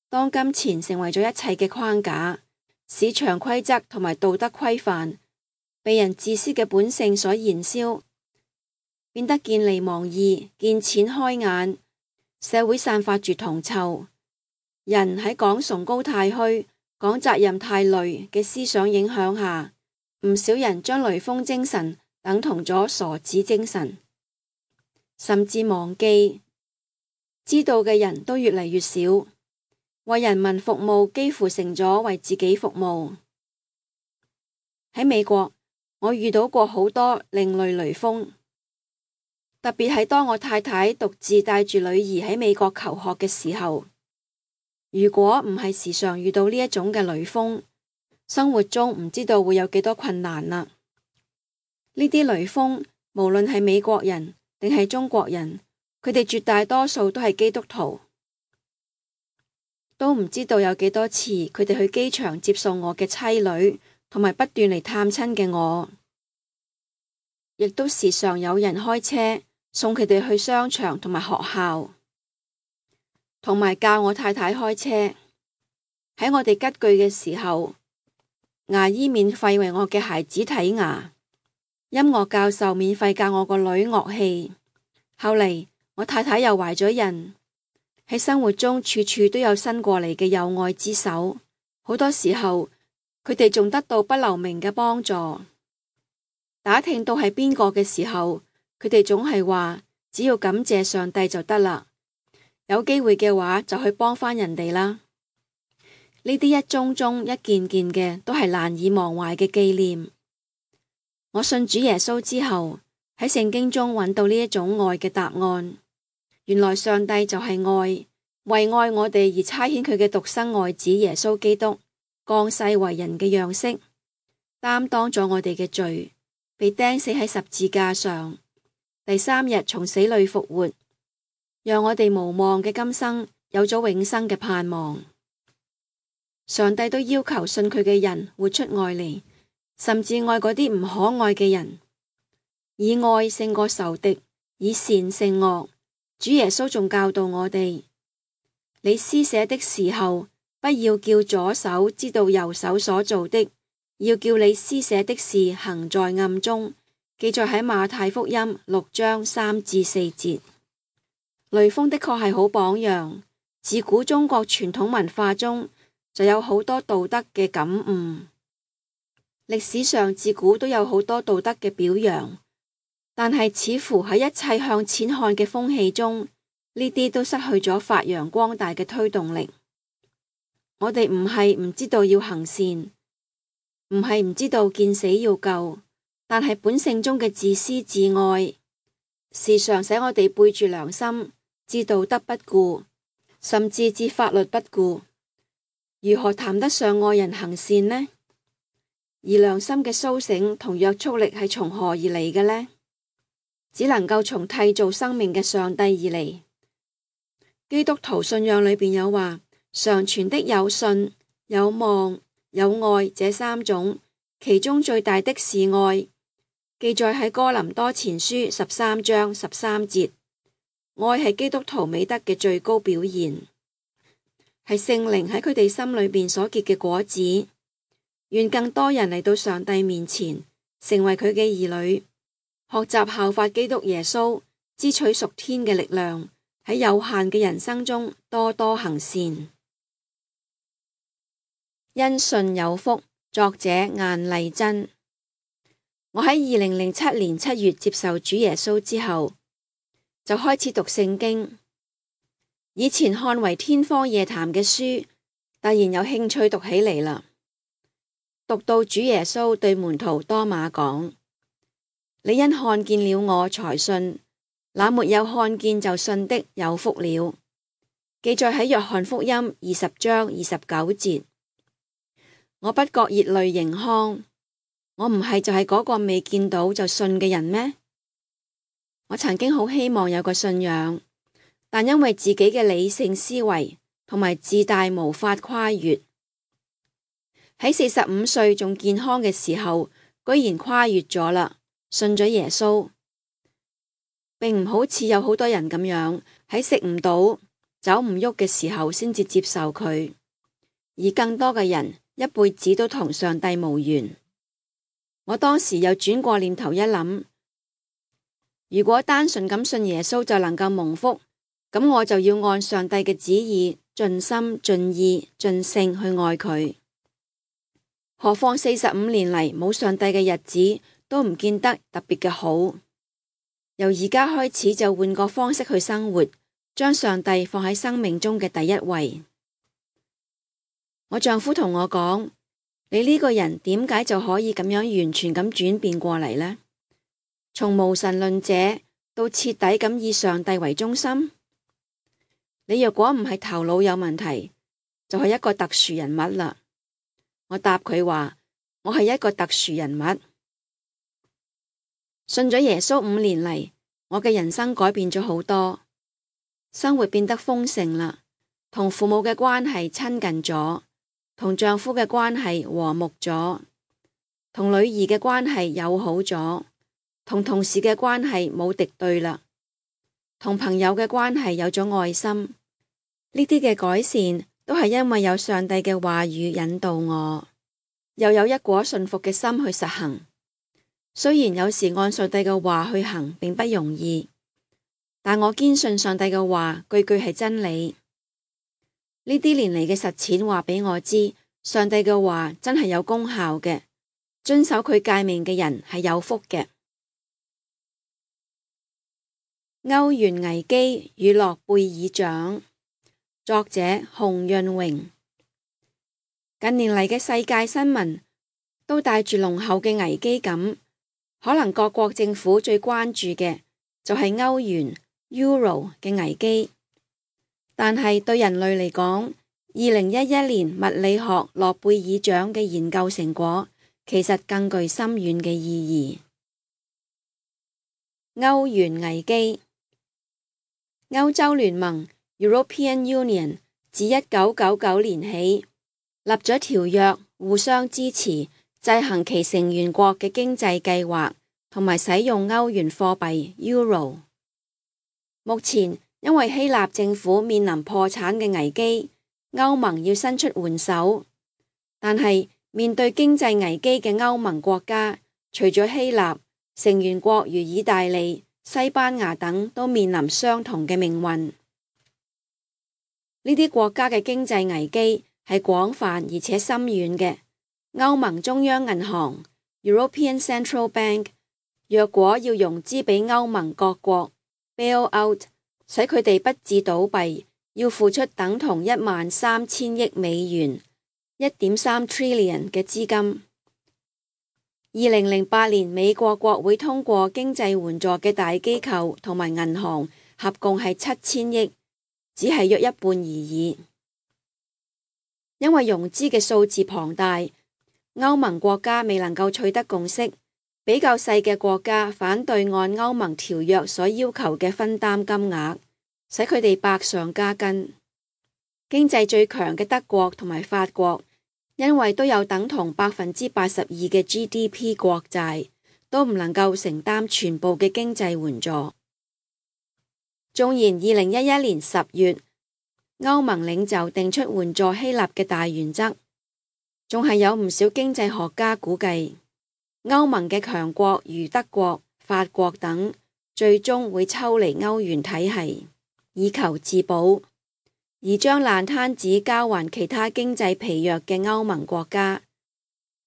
當金錢成為咗一切嘅框架，市場規則同埋道德規範被人自私嘅本性所燃燒，變得見利忘義、見錢開眼，社會散發住銅臭。人喺講崇高太虛、講責任太累嘅思想影響下，唔少人將雷鋒精神等同咗傻子精神，甚至忘記。知道嘅人都越嚟越少，為人民服務幾乎成咗為自己服務。喺美國，我遇到過好多另類雷鋒，特別係當我太太獨自帶住女兒喺美國求學嘅時候，如果唔係時常遇到呢一種嘅雷鋒，生活中唔知道會有幾多困難啦。呢啲雷鋒無論係美國人定係中國人，佢哋絕大多數都係基督徒，都唔知道有幾多次佢哋去機場接送我嘅妻女，同埋不斷嚟探親嘅我，亦都時常有人開車送佢哋去商場同埋學校，同埋教我太太開車。喺我哋吉句嘅時候，牙醫免費為我嘅孩子睇牙，音樂教授免費教我個女樂器。後嚟我太太又懷咗孕，喺生活中處處都有伸過嚟嘅友愛之手，好多時候佢哋仲得到不留名嘅幫助。打聽到係邊個嘅時候，佢哋總係話只要感謝上帝就得啦，有機會嘅話就去幫返人哋啦。呢啲一宗宗一件件嘅都係難以忘懷嘅紀念。我信主耶穌之後，喺聖經中揾到呢一種愛嘅答案。原來上帝就係愛，為愛我哋而差遣佢嘅獨生愛子耶穌基督降世為人嘅樣式，擔當咗我哋嘅罪，被釘死喺十字架上，第三日從死裏復活，讓我哋無望嘅今生有咗永生嘅盼望。上帝都要求信佢嘅人活出愛嚟，甚至愛嗰啲唔可愛嘅人，以愛勝過仇敵，以善勝惡。主耶穌仲教導我哋：你施捨的時候，不要叫左手知道右手所做的，要叫你施捨的事行在暗中。記載喺馬太福音六章三至四節。雷鋒的確係好榜樣，自古中國傳統文化中就有好多道德嘅感悟。歷史上自古都有好多道德嘅表揚，但係似乎喺一切向錢看嘅風氣中，呢啲都失去咗發揚光大嘅推動力。我哋唔係唔知道要行善，唔係唔知道見死要救，但係本性中嘅自私自愛，時常使我哋背住良心，置道德不顧，甚至置法律不顧。如何談得上愛人行善呢？而良心嘅蘇醒同約束力係從何而嚟嘅呢？只能夠從締造生命嘅上帝而嚟。基督徒信仰裏邊有話，常存的有信、有望、有愛這三種，其中最大的是愛。記載喺哥林多前書十三章十三節。愛係基督徒美德嘅最高表現，係聖靈喺佢哋心裏邊所結嘅果子。願更多人嚟到上帝面前，成為佢嘅兒女，學習效法基督耶穌，支取屬天嘅力量，喺有限嘅人生中多多行善。因信有福，作者晏麗珍。我喺二零零七年七月接受主耶穌之後，就開始讀聖經。以前看為天方夜譚嘅書，突然有興趣讀起嚟啦。讀到主耶穌對門徒多馬講：你因看見了我才信，那沒有看見就信的有福了。記載喺約翰福音二十章二十九節。我不覺熱淚盈眶，我唔係就係嗰個未見到就信嘅人咩？我曾經好希望有個信仰，但因為自己嘅理性思維同埋自大無法跨越。喺四十五歲仲健康嘅時候，居然跨越咗啦，信咗耶穌，並唔好似有好多人咁樣喺食唔到、走唔喐嘅時候先至接受佢，而更多嘅人一輩子都同上帝無緣。我當時又轉過念頭一諗，如果單純咁信耶穌就能夠蒙福，咁我就要按上帝嘅旨意，盡心盡意盡性去愛佢。何況四十五年嚟冇上帝嘅日子都唔見得特別嘅好。由而家開始就換個方式去生活，將上帝放喺生命中嘅第一位。我丈夫同我講：你呢個人點解就可以咁樣完全咁轉變過嚟呢？從無神論者到徹底咁以上帝為中心。你若果唔係頭腦有問題，就係一個特殊人物啦。我答佢話：我係一個特殊人物。信咗耶穌五年嚟，我嘅人生改變咗好多，生活變得豐盛啦，同父母嘅關係親近咗，同丈夫嘅關係和睦咗，同女兒嘅關係友好咗，同同事嘅關係冇敵對啦，同朋友嘅關係有咗愛心。呢啲嘅改善都係因為有上帝嘅話語引導我，又有一顆信服嘅心去實行。雖然有時按上帝嘅話去行並不容易，但我堅信上帝嘅話句句係真理。呢啲年嚟嘅實踐話俾我知，上帝嘅話真係有功效嘅，遵守佢誡命嘅人係有福嘅。歐元危機與諾貝爾獎，作者洪潤榮。近年嚟嘅世界新聞都帶住濃厚嘅危機感，可能各國政府最關注嘅就係歐元 Euro 嘅危機，但係對人類嚟講，二零一一年物理學諾貝爾獎嘅研究成果其實更具深遠嘅意義。歐元危機，歐洲聯盟 European Union 自一九九九年起立咗條約，互相支持，制衡其成員國嘅經濟計劃，同埋使用歐元貨幣 Euro。目前因為希臘政府面臨破產嘅危機，歐盟要伸出援手，但係面對經濟危機嘅歐盟國家，除咗希臘，成員國如意大利、西班牙等都面臨相同嘅命運。呢啲國家嘅經濟危機係廣泛而且深遠嘅，歐盟中央銀行 European Central Bank 若果要融資俾歐盟各國 bail out， 使佢哋不致倒閉，要付出等同一萬三千億美元 一點三 trillion 嘅資金。二零零八年美國國會通過經濟援助嘅大機構同埋銀行合共係七千億，只係約一半而已。因為融資嘅數字龐大，歐盟國家未能夠取得共識，比較細嘅國家反對按歐盟條約所要求嘅分擔金額，使佢哋百上加斤。經濟最強嘅德國同埋法國，因為都有等同百分之八十二嘅 G D P 國債，都唔能夠承擔全部嘅經濟援助。縱然二零一一年十月，歐盟領袖定出援助希臘嘅大原則，仲係有唔少經濟學家估計，歐盟嘅強國如德國、法國等，最終會抽離歐元體系，以求自保，而將爛攤子交還其他經濟疲弱嘅歐盟國家，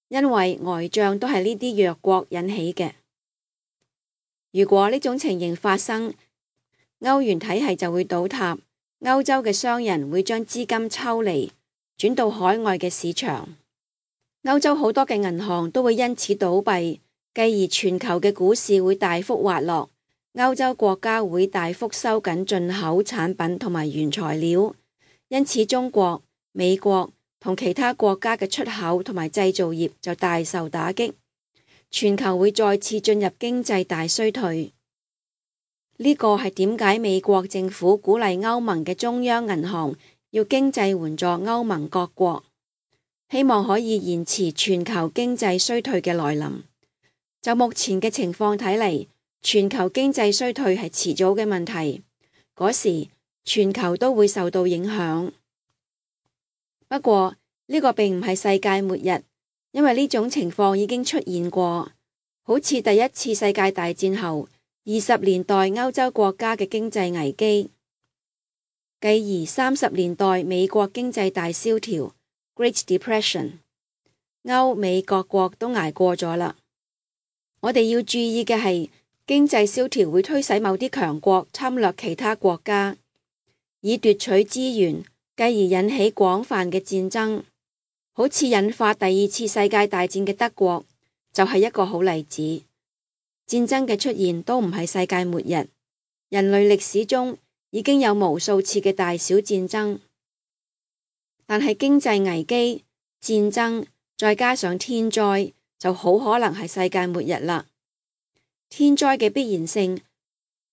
因為呆賬都係呢啲弱國引起嘅。如果呢種情形發生，歐元體系就會倒塌，歐洲嘅商人會將資金抽離，轉到海外嘅市場，歐洲好多嘅銀行都會因此倒閉，繼而全球嘅股市會大幅滑落，歐洲國家會大幅收緊進口產品同埋原材料，因此中國、美國同其他國家嘅出口同埋製造業就大受打擊，全球會再次進入經濟大衰退。呢個係點解美國政府鼓勵歐盟嘅中央銀行要經濟援助歐盟各國，希望可以延遲全球經濟衰退嘅來臨。就目前嘅情況睇嚟，全球經濟衰退係遲早嘅問題，嗰時全球都會受到影響。不過呢個並唔係世界末日，因為呢種情況已經出現過，好似第一次世界大戰後二十年代歐洲國家嘅經濟危機，繼而三十年代美國經濟大蕭條 Great Depression， 歐美各國都捱過咗啦。我哋要注意嘅係，經濟蕭條會推使某啲強國侵略其他國家，以奪取資源，繼而引起廣泛嘅戰爭，好似引發第二次世界大戰嘅德國就係一個好例子。戰爭嘅出現都唔係世界末日，人類歷史中已經有無數次嘅大小戰爭，但係經濟危機、戰爭再加上天災，就好可能係世界末日啦。天災嘅必然性，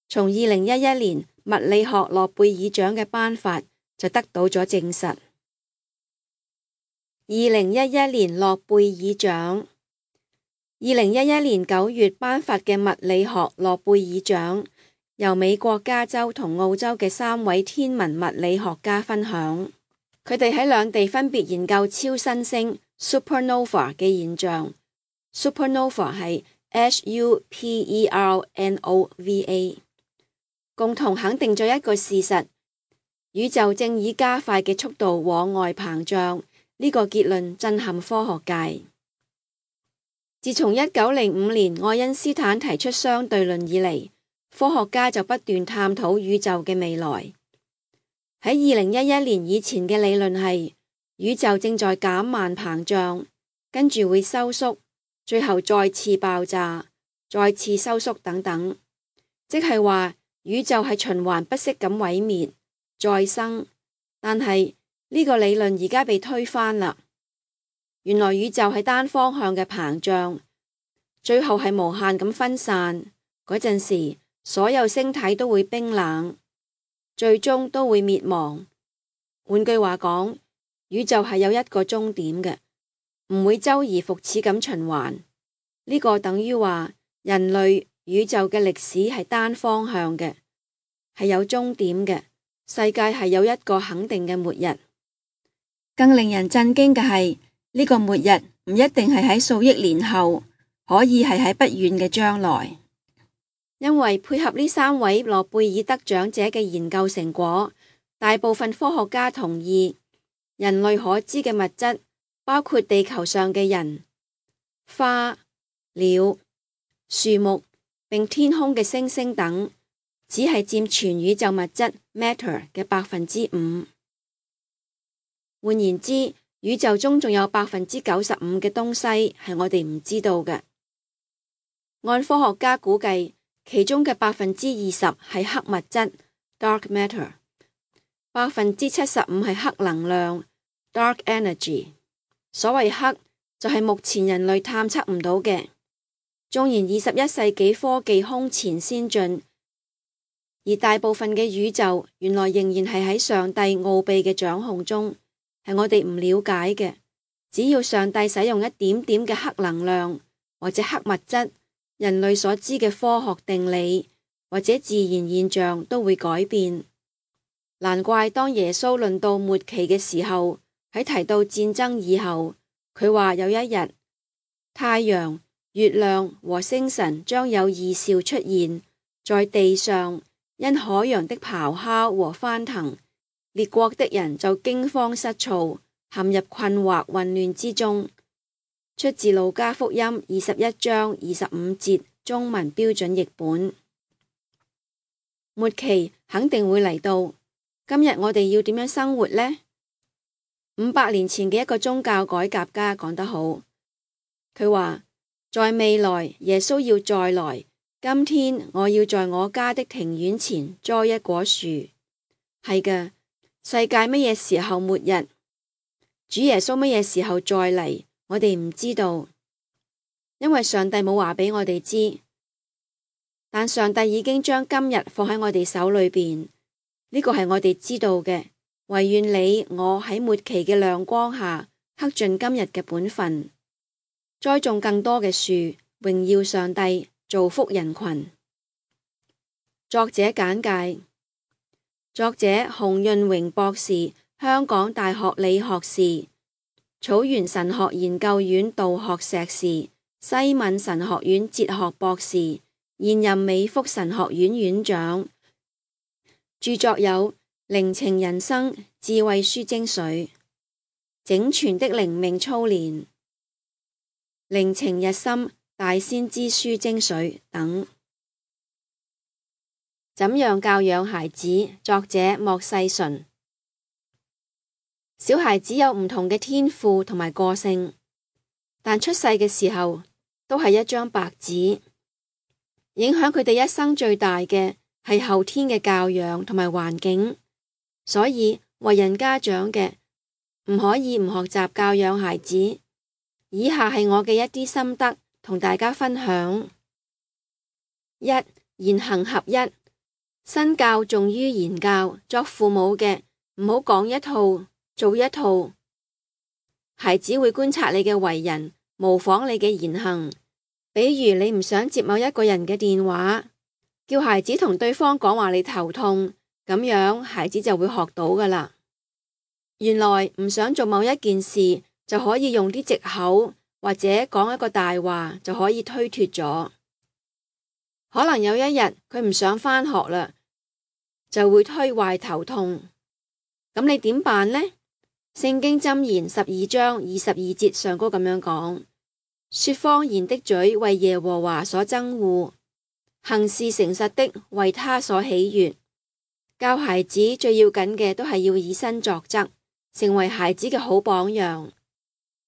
從二零一一年物理學諾貝爾獎嘅頒發就得到咗證實。二零一一年諾貝爾獎。二零一一年九月頒發嘅物理學諾貝爾獎，由美國加州同澳洲嘅三位天文物理學家分享。佢哋喺兩地分別研究超新星 supernova 嘅現象。supernova 係 S U P E R N O V A， 共同肯定咗一個事實：宇宙正以加快嘅速度往外膨脹。呢個結論震撼科學界。自從一九零五年愛因斯坦提出相對論以嚟，科學家就不斷探討宇宙嘅未來。喺二零一一年以前嘅理論係，宇宙正在減慢膨脹，跟住會收縮，最後再次爆炸，再次收縮等等，即係話宇宙係循環不息咁毀滅再生。但係呢個理論而家被推翻啦。原來宇宙係單方向嘅膨脹，最後係無限咁分散，嗰陣時所有星體都會冰冷，最終都會滅亡。換句話講，宇宙係有一個終點嘅，唔會周而復始咁循環。呢個等於話人類宇宙嘅歷史係單方向嘅，係有終點嘅。世界係有一個肯定嘅末日。更令人震驚嘅係，呢個末日唔一定係喺數億年後，可以係喺不遠嘅將來。因為配合呢三位諾貝爾得獎者嘅研究成果，大部分科學家同意人類可知嘅物質，包括地球上嘅人、花、鳥、樹木並天空嘅星星等，只係佔全宇宙物質 matter 嘅百分之五。換言之，宇宙中仲有百分之九十五嘅東西係我哋唔知道嘅。按科學家估計，其中嘅百分之二十係黑物質 dark matter， 百分之七十五係黑能量 dark energy。所謂黑就係目前人類探測唔到嘅。縱然二十一世紀科技空前先進，而大部分嘅宇宙原來仍然係喺上帝奧秘嘅掌控中，係我哋唔了解嘅。只要上帝使用一點點嘅黑能量或者黑物質，人類所知嘅科學定理或者自然現象都會改變。難怪當耶穌論到末期嘅時候，喺提到戰爭以後，佢話有一日太陽、月亮和星辰將有異兆出現在地上，因海洋的咆哮和翻騰，列國的人就驚慌失措，陷入困惑混亂之中。出自路加福音二十一章二十五節，中文標準譯本。末期肯定會嚟到，今日我哋要點樣生活呢？五百年前嘅一個宗教改革家講得好，佢話在未來耶穌要再來，今天我要在我家的庭院前栽一棵樹。係嘅，世界乜嘢時候末日？主耶穌乜嘢時候再嚟？我哋唔知道，因為上帝冇話俾我哋知。但上帝已經將今日放喺我哋手裏邊，呢個係我哋知道嘅。唯願你我喺末期嘅亮光下，克盡今日嘅本分，栽種更多嘅樹，榮耀上帝，造福人群。作者簡介：作者洪潤榮博士，香港大學理學士，草原神學研究院道學碩士，西敏神學院哲學博士，現任美福神學院院長。著作有靈情人生、智慧書精髓、整全的靈命操練、靈情日深、大先知書精髓等。怎樣教養孩子？作者莫世純。小孩子有唔同嘅天賦同埋個性，但出世嘅時候都係一張白紙。影響佢哋一生最大嘅係後天嘅教養同埋環境。所以為人家長嘅唔可以唔學習教養孩子。以下係我嘅一啲心得同大家分享。一、言行合一，身教重於言教。作父母嘅唔好講一套做一套，孩子會觀察你嘅為人，模仿你嘅言行。比如你唔想接某一個人嘅電話，叫孩子同對方講話你頭痛，咁樣孩子就會學到㗎喇。原來唔想做某一件事，就可以用啲藉口或者講一個大話就可以推脫咗。可能有一日佢唔想返學啦，就會推壞頭痛。咁你點辦呢？聖經箴言十二章二十二節上高咁樣講：說謊言的嘴為耶和華所憎惡，行事誠實的為他所喜悅。教孩子最要緊嘅都係要以身作則，成為孩子嘅好榜樣。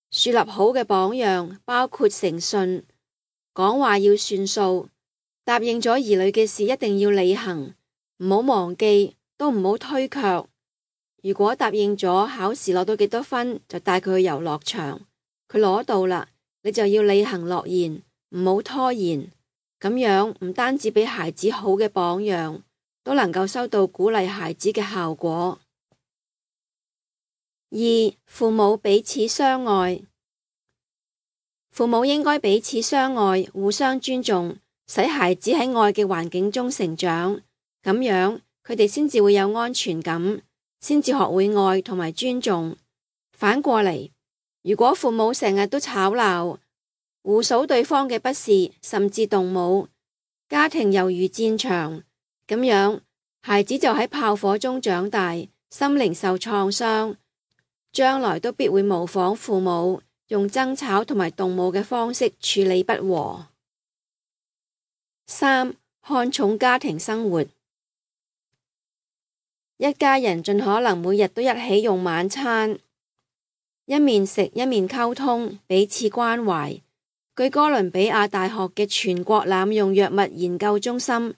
樹立好嘅榜樣包括誠信，講話要算數，答應咗兒女嘅事一定要履行，唔好忘記，都唔好推卻。如果答應咗考試攞到幾多分，就帶佢去遊樂場，佢攞到啦，你就要履行諾言，唔好拖延。咁樣唔單止俾孩子好嘅榜樣，都能夠收到鼓勵孩子嘅效果。二、父母彼此相愛。父母應該彼此相愛，互相尊重，使孩子喺愛嘅環境中成長，咁樣佢哋先至會有安全感，先至學會愛同埋尊重。反過嚟，如果父母成日都吵鬧，互數對方嘅不是，甚至動武，家庭猶如戰場，咁樣孩子就喺炮火中長大，心靈受創傷，將來都必會模仿父母，用爭吵同埋動武嘅方式處理不和。三、看重家庭生活。一家人盡可能每日都一起用晚餐，一面食一面溝通，彼此關懷。據哥倫比亞大學嘅全國濫用藥物研究中心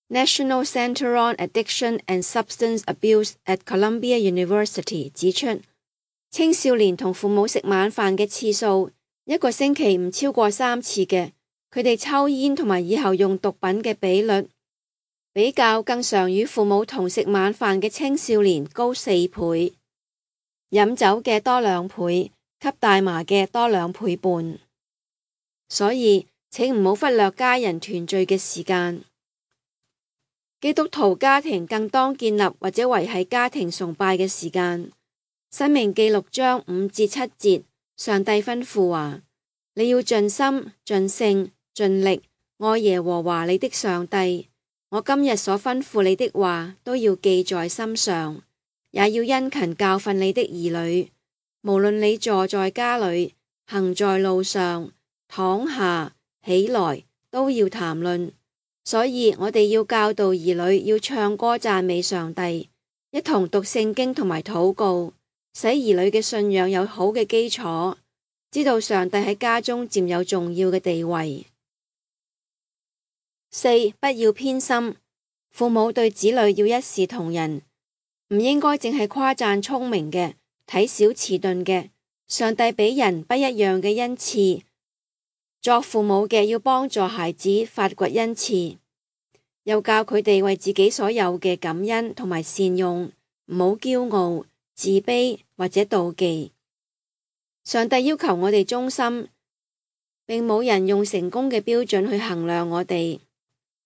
National Center on Addiction and Substance Abuse at Columbia University 指出，青少年同父母食晚飯嘅次數，一個星期唔超過三次嘅，佢哋抽煙同埋以後用毒品嘅比率，比較更常與父母同食晚飯嘅青少年高四倍，飲酒嘅多兩倍，吸大麻嘅多兩倍半。所以請唔好忽略家人團聚嘅時間。基督徒家庭更當建立或者維繫家庭崇拜嘅時間。申命記六章五至七節，上帝吩咐話：你要盡心、盡性、盡力愛耶和華你的上帝。我今日所吩咐你的話都要記在心上，也要殷勤教訓你的兒女。無論你坐在家裏，行在路上，躺下起來，都要談論。所以我哋要教導兒女要唱歌讚美上帝，一同讀聖經同埋禱告，使兒女嘅信仰有好嘅基礎，知道上帝喺家中佔有重要嘅地位。四、不要偏心，父母對子女要一視同仁，唔應該淨係誇讚聰明嘅，睇小遲鈍嘅。上帝俾人不一樣嘅恩賜，作父母嘅要幫助孩子發掘恩賜，又教佢哋為自己所有嘅感恩同埋善用，唔好驕傲、自卑或者妒忌。上帝要求我哋忠心，並冇人用成功嘅標準去衡量我哋，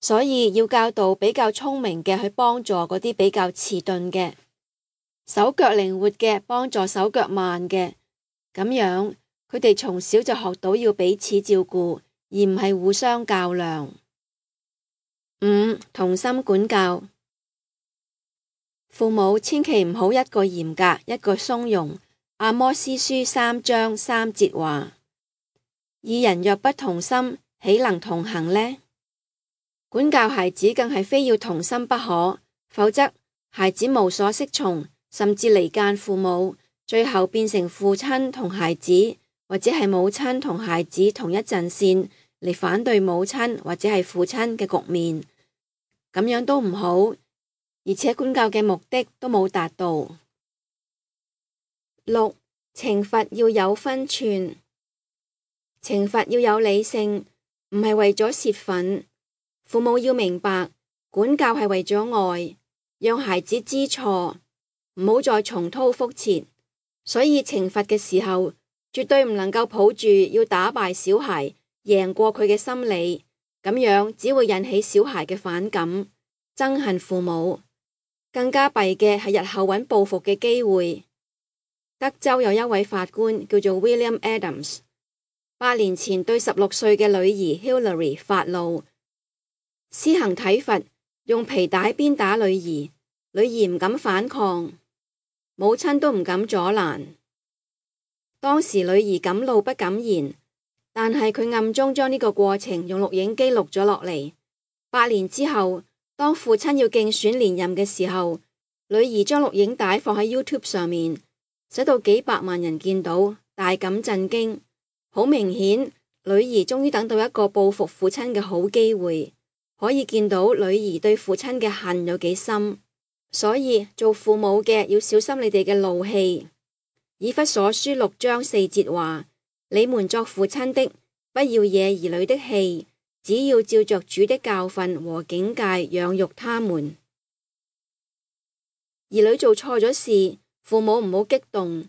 所以要教導比較聰明嘅去幫助嗰啲比較遲鈍嘅，手腳靈活嘅幫助手腳慢嘅。咁樣，佢哋從小就學到要彼此照顧，而唔係互相較量。五、同心管教，父母千祈唔好一個嚴格，一個鬆容。阿摩司書三章三節話：二人若不同心，豈能同行呢？管教孩子更係非要同心不可，否則孩子無所適從，甚至離間父母。最後變成父親同孩子，或者係母親同孩子同一陣線嚟反對母親或者係父親嘅局面，咁樣都唔好，而且管教嘅目的都冇達到。六、懲罰要有分寸，懲罰要有理性，唔係為咗洩憤。父母要明白，管教係為咗愛，讓孩子知錯，唔好再重蹈覆轍。所以懲罰嘅時候，絕對唔能夠抱住要打敗小孩、贏過佢嘅心理，咁樣只會引起小孩嘅反感、憎恨父母。更加弊嘅係日後揾報復嘅機會。德州有一位法官叫做 William Adams， 八年前對十六歲嘅女兒 Hillary 發怒，施行體罰，用皮帶鞭打女兒，女兒唔敢反抗。母親都唔敢阻攔，當時女兒敢怒不敢言，但係佢暗中將呢個過程用錄影機錄咗落嚟。八年之後，當父親要競選連任嘅時候，女兒將錄影帶放喺 YouTube 上面，使到幾百萬人見到，大感震驚。好明顯，女兒終於等到一個報復父親嘅好機會，可以見到女兒對父親嘅恨有幾深。所以做父母嘅要小心你哋嘅怒氣。以弗所書六章四節話：你們作父親的，不要惹兒女的氣，只要照着主的教訓和警戒養育他們。兒女做錯咗事，父母唔好激動，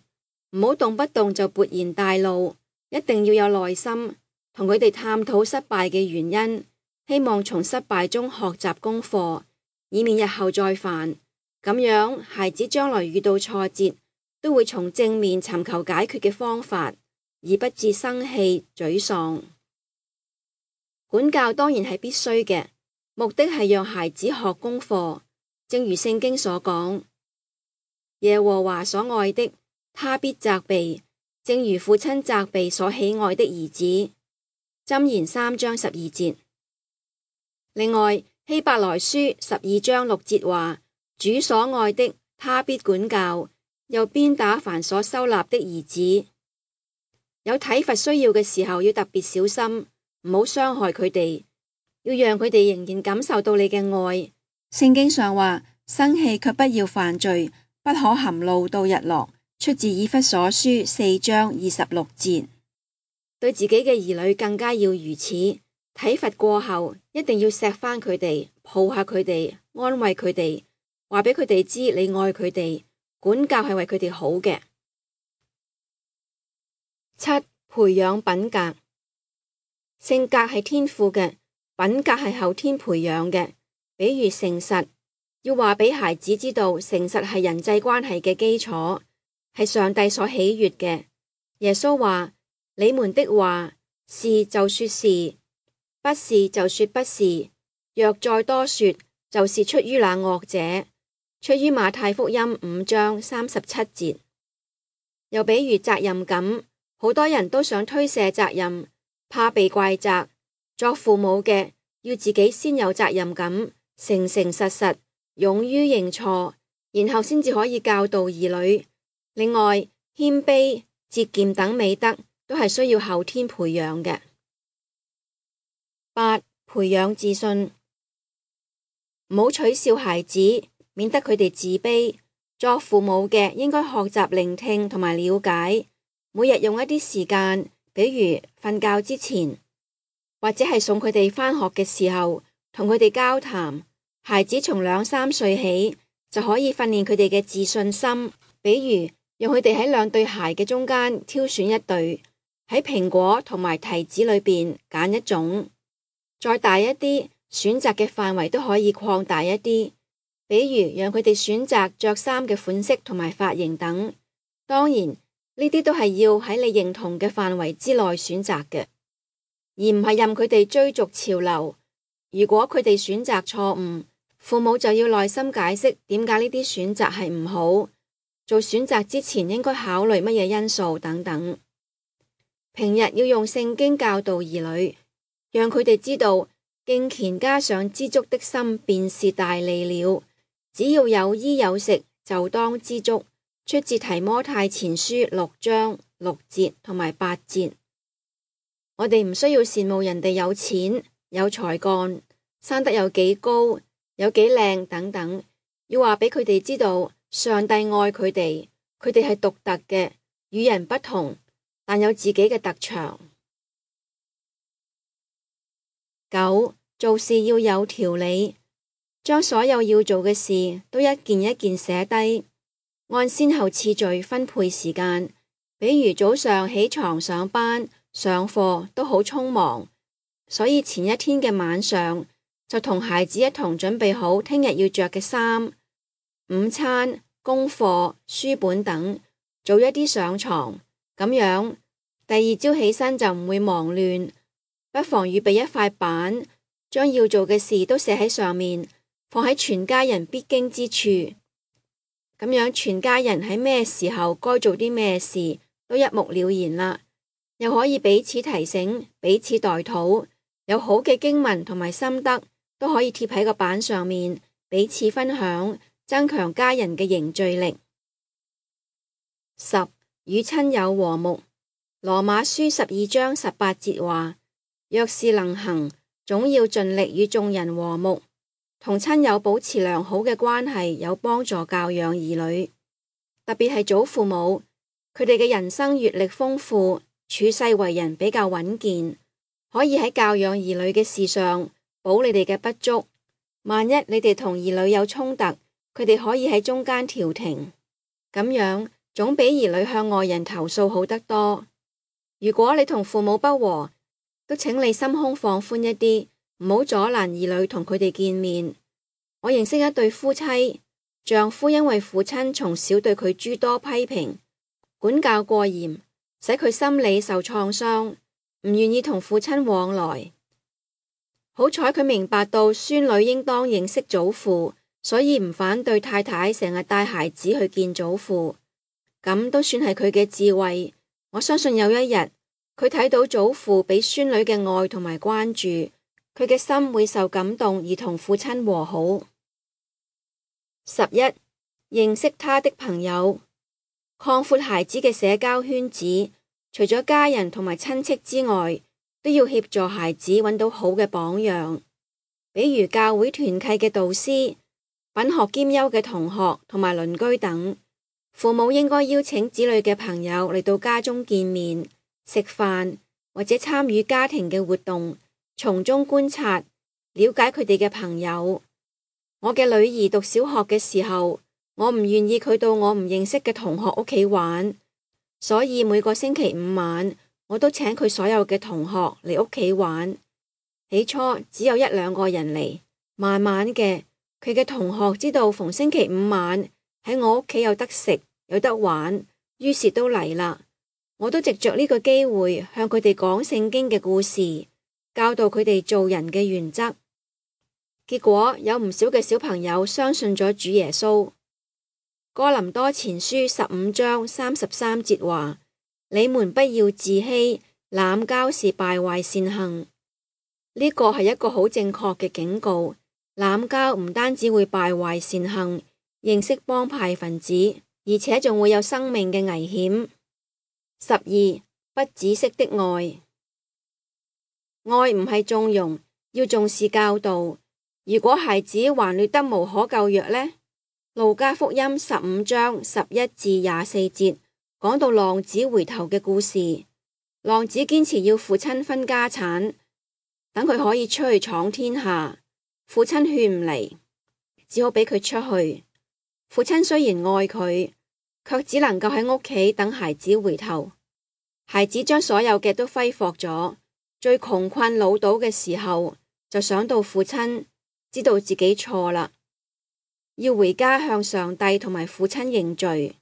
唔好動不動就勃然大怒，一定要有耐心，同佢哋探討失敗嘅原因，希望從失敗中學習功課，以免日後再犯。咁樣，孩子將來遇到挫折，都會從正面尋求解決嘅方法，而不致生氣沮喪。管教當然係必須嘅，目的係讓孩子學功課。正如聖經所講，耶和華所愛的，他必責備，正如父親責備所喜愛的兒子。箴言三章十二節。另外，希伯來書十二章六節話：主所愛的，他必管教，又鞭打凡所收納的兒子。有體罰需要嘅時候，要特別小心，唔好傷害佢哋，要讓佢哋仍然感受到你嘅愛。聖經上話：生氣卻不要犯罪，不可含怒到日落。出自以弗所書四章二十六節。對自己嘅兒女更加要如此。體罰過後，一定要錫返佢哋，抱下佢哋，安慰佢哋，話俾佢哋知你愛佢哋，管教係為佢哋好嘅。七、培養品格。性格係天賦嘅，品格係後天培養嘅。比如誠實，要話俾孩子知道，誠實係人際關係嘅基礎，係上帝所喜悅嘅。耶穌話：你們的話是就說是，不是就說不是。若再多說，就是出於那惡者。出於馬太福音五章三十七節。又比如責任感，好多人都想推卸責任，怕被怪責。作父母嘅要自己先有責任感，誠誠實實，勇於認錯，然後先至可以教導兒女。另外，謙卑、節儉等美德都係需要後天培養嘅。八、培養自信，唔好取笑孩子，免得佢哋自卑。作父母嘅應該學習聆聽同埋了解，每日用一啲時間，比如瞓覺之前，或者係送佢哋返學嘅時候，同佢哋交談。孩子從兩三歲起就可以訓練佢哋嘅自信心，比如讓佢哋喺兩對鞋嘅中間挑選一對，喺蘋果同埋提子裏邊揀一種。再大一啲，選擇嘅範圍都可以擴大一啲，比如讓佢哋選擇着衫嘅款式同埋髮型等。當然，呢啲都係要喺你認同嘅範圍之內選擇嘅，而唔係任佢哋追逐潮流。如果佢哋選擇錯誤，父母就要耐心解釋點解呢啲選擇係唔好，做選擇之前應該考慮乜嘢因素等等。平日要用聖經教導兒女，讓佢哋知道敬虔加上知足的心便是大利了。只要有衣有食，就當知足。出自提摩太前書六章六節同埋八節。我哋唔需要羨慕人哋有錢、有才幹、生得有幾高、有幾靚等等，要話俾佢哋知道，上帝愛佢哋，佢哋係獨特嘅，與人不同，但有自己嘅特長。九、做事要有條理，將所有要做嘅事都一件一件寫低，按先後次序分配時間。比如早上起床上班、上課都好匆忙，所以前一天嘅晚上就同孩子一同準備好聽日要着嘅衫、午餐、功課、書本等，早一啲上床，咁樣第二朝起身就唔會忙亂。不妨預備一塊板，將要做嘅事都寫喺上面，放喺全家人必經之處。咁樣全家人喺咩時候該做啲咩事都一目了然啦，又可以彼此提醒、彼此代禱。有好嘅經文同埋心得都可以貼喺個板上面，彼此分享，增強家人嘅凝聚力。十、與親友和睦。羅馬書十二章十八節話：若是能行，總要盡力與眾人和睦。同親友保持良好嘅關係，有幫助教養兒女，特別係祖父母，佢哋嘅人生閱歷豐富，處世為人比較穩健，可以喺教養兒女嘅事上補你哋嘅不足。萬一你哋同兒女有衝突，佢哋可以喺中間調停，咁樣總比兒女向外人投訴好得多。如果你同父母不和，都請你心胸放寬一啲，唔好阻攔兒女同佢哋見面。我認識一對夫妻，丈夫因為父親從小對佢諸多批評，管教過嚴，使佢心理受創傷，唔願意同父親往來。好彩佢明白到孫女應當認識祖父，所以唔反對太太成日帶孩子去見祖父。咁都算係佢嘅智慧。我相信有一日，佢睇到祖父俾孫女嘅愛同埋關注，佢嘅心會受感動而同父親和好。十一，認識他的朋友，擴闊孩子嘅社交圈子，除咗家人同埋親戚之外，都要協助孩子揾到好嘅榜樣，比如教會團契嘅導師、品學兼優嘅同學同埋鄰居等。父母應該邀請子女嘅朋友嚟到家中見面、食飯或者參與家庭嘅活動，從中觀察、了解佢哋嘅朋友。我嘅女兒讀小學嘅時候，我唔願意佢到我唔認識嘅同學屋企玩，所以每個星期五晚我都請佢所有嘅同學嚟屋企玩。起初只有一兩個人嚟，慢慢嘅佢嘅同學知道逢星期五晚喺我屋企有得食有得玩，於是都嚟啦。我都藉着呢個機會向佢哋講聖經嘅故事，教導佢哋做人嘅原則。結果有唔少嘅小朋友相信咗主耶穌。哥林多前書十五章三十三節話：你們不要自欺，濫交是敗壞善行。呢個係一個好正確嘅警告。濫交唔單止會敗壞善行，認識幫派分子，而且仲會有生命嘅危險。十二，不止息的愛，愛唔係縱容，要重視教導。如果孩子還劣得無可救藥呢？路加福音十五章十一至廿四節講到浪子回頭嘅故事。浪子堅持要父親分家產，等佢可以出去闖天下。父親勸唔嚟，只好俾佢出去。父親雖然愛佢，卻只能夠喺屋企等孩子回頭。孩子將所有嘅都揮霍咗，最窮困潦倒嘅時候，就想到父親，知道自己錯啦，要回家向上帝同埋父親認罪。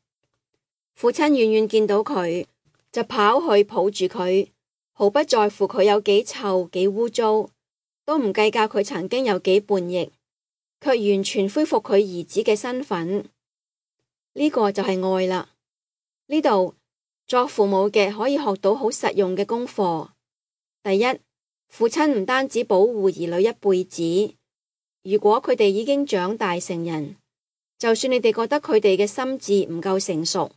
父親遠遠見到佢，就跑去抱住佢，毫不在乎佢有幾臭幾污糟，都唔計較佢曾經有幾叛逆，卻完全恢復佢兒子嘅身份。呢個就係愛啦。呢度作父母嘅可以學到好實用嘅功課。第一，父親唔單止保護兒女一輩子，如果佢哋已經長大成人，就算你哋覺得佢哋嘅心智唔夠成熟，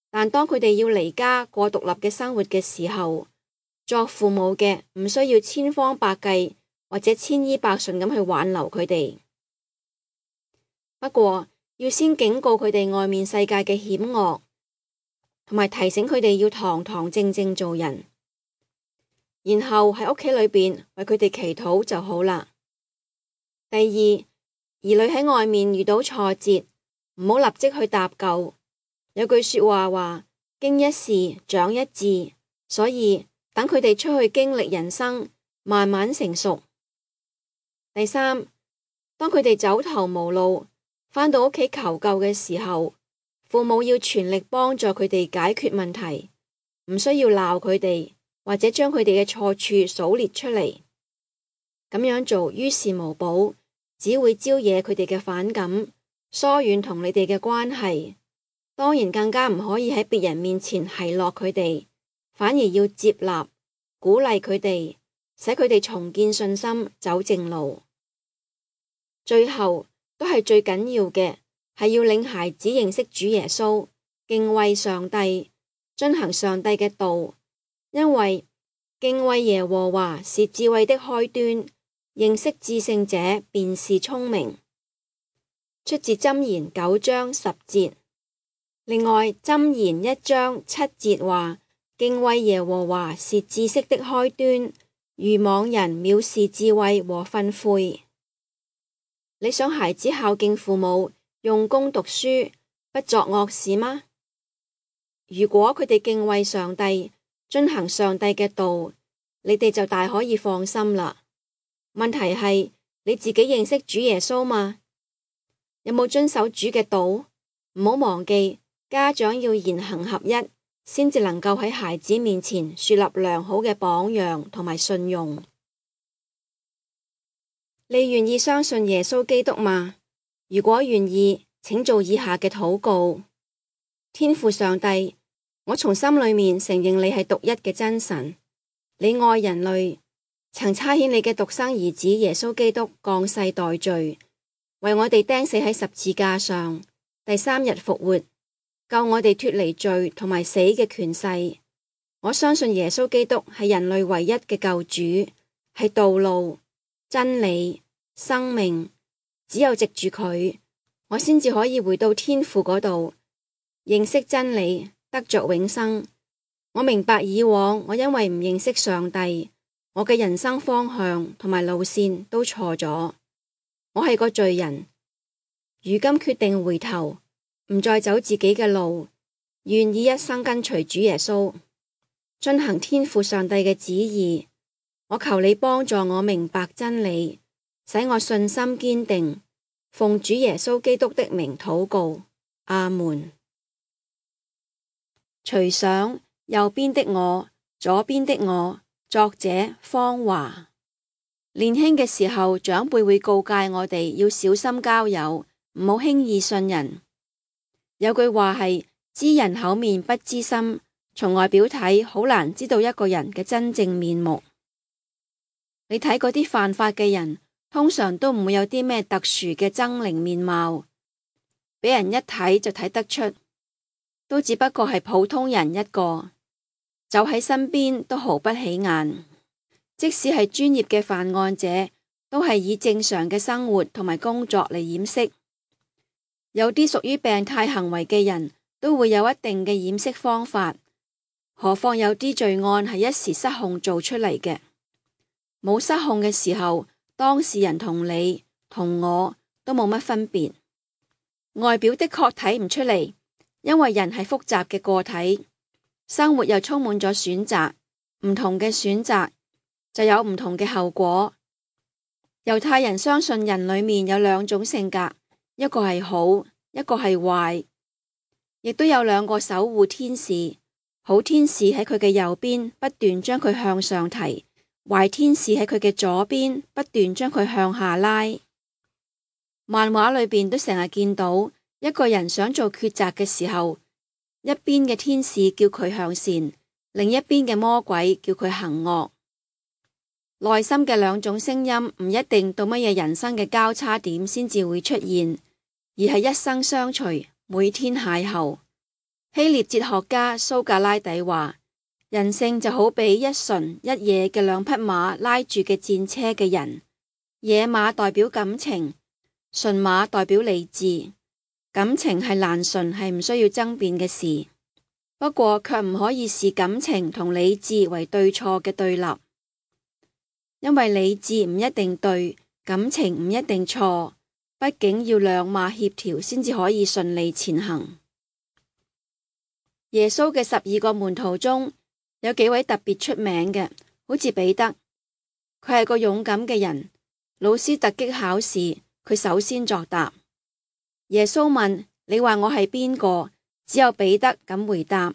但當佢哋要離家過獨立嘅生活嘅時候，作父母嘅唔需要千方百計或者千依百順咁去挽留佢哋。不過要先警告佢哋外面世界嘅險惡，同埋提醒佢哋要堂堂正正做人，然後喺屋企裏邊為佢哋祈禱就好啦。第二，兒女喺外面遇到挫折，唔好立即去搭救。有句說話話：經一事長一智，所以等佢哋出去經歷人生，慢慢成熟。第三，當佢哋走投無路，返到屋企求救嘅時候，父母要全力幫助佢哋解決問題，唔需要鬧佢哋，或者將佢哋嘅錯處數列出嚟。咁樣做於事無補，只會招惹佢哋嘅反感，疏遠同你哋嘅關係。當然更加唔可以喺別人面前奚落佢哋，反而要接納、鼓勵佢哋，使佢哋重建信心，走正路。最後都係最緊要嘅，係要領孩子認識主耶穌，敬畏上帝，遵行上帝嘅道，因為敬畏耶和華是智慧的開端，認識至聖者便是聰明。出自箴言九章十節。另外，箴言一章七節話：敬畏耶和華是知識的開端，愚妄人藐視智慧和訓誨。你想孩子孝敬父母，用功讀書，不作惡事嗎？如果佢哋敬畏上帝，遵行上帝嘅道，你哋就大可以放心啦。問題係你自己認識主耶穌嗎？有冇遵守主嘅道？唔好忘記。家長要言行合一，先至能夠喺孩子面前樹立良好嘅榜樣同埋信用。你願意相信耶穌基督嗎？如果願意，請做以下嘅禱告。天父上帝，我從心裏面承認你係獨一嘅真神，你愛人類，曾差遣你嘅獨生兒子耶穌基督降世代罪，為我哋釘死喺十字架上，第三日復活，救我哋脫離罪同埋死嘅權勢。我相信耶穌基督係人類唯一嘅救主，係道路、真理、生命，只有藉住佢，我先至可以回到天父嗰度，認識真理，得着永生。我明白以往我因為唔認識上帝，我嘅人生方向同埋路線都錯咗。我係個罪人，如今決定回頭，唔再走自己嘅路，願意一生跟隨主耶穌，遵行天父上帝嘅旨意。我求你幫助我明白真理，使我信心堅定。奉主耶穌基督的名禱告，阿門。隨想右邊的我，左邊的我。作者方華。年輕嘅時候，長輩會告誡我哋要小心交友，唔好輕易信人。有句話係知人口面不知心，從外表睇好難知道一個人嘅真正面目。你睇嗰啲犯法嘅人，通常都唔會有啲咩特殊嘅猙獰面貌，俾人一睇就睇得出，都只不過係普通人一個，走喺身邊都毫不起眼。即使係專業嘅犯案者，都係以正常嘅生活同埋工作嚟掩飾。有啲屬於病態行為嘅人都會有一定嘅掩飾方法，何況有啲罪案係一時失控做出嚟嘅。冇失控嘅時候，當事人同你同我都冇乜分別。外表的確睇唔出嚟，因為人係複雜嘅個體，生活又充滿咗選擇，唔同嘅選擇就有唔同嘅後果。猶太人相信人裏面有兩種性格，一個係好，一個係壞，亦都有兩個守護天使。好天使喺佢嘅右邊，不斷將佢向上提；壞天使喺佢嘅左邊，不斷將佢向下拉。漫畫裏邊都成日見到一個人想做抉擇嘅時候，一邊嘅天使叫佢向善，另一邊嘅魔鬼叫佢行惡。內心嘅兩種聲音唔一定到乜嘢人生嘅交叉點先至會出現，而係一生相隨，每天邂逅。希臘哲學家蘇格拉底話，人性就好比一純一野嘅兩匹馬拉住嘅戰車嘅人，野馬代表感情，純馬代表理智。感情係難順，係唔需要爭辯嘅事，不過卻唔可以視感情同理智為對錯嘅對立，因為理智唔一定對，感情唔一定錯，畢竟要兩馬協調先至可以順利前行。耶穌嘅十二個門徒中有幾位特別出名嘅，好似彼得，佢係個勇敢嘅人。老師突擊考試，佢首先作答。耶穌問：你話我係邊個？只有彼得敢回答。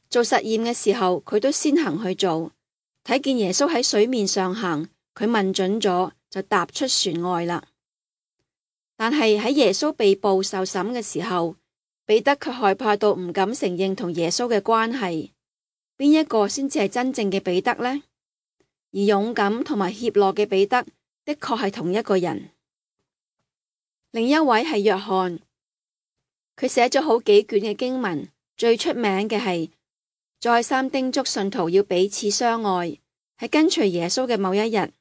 做實驗嘅時候，佢都先行去做。睇見耶穌喺水面上行，佢問準咗，就踏出船外啦。但係喺耶穌被捕受審嘅時候，彼得卻害怕到唔敢承認同耶穌嘅關係。邊一個先至係真正嘅彼得呢？而勇敢同埋怯懦嘅彼得的確係同一個人。另一位係約翰，佢寫咗好幾卷嘅經文，最出名嘅係再三叮囑信徒要彼此相愛。喺跟隨耶穌嘅某一日，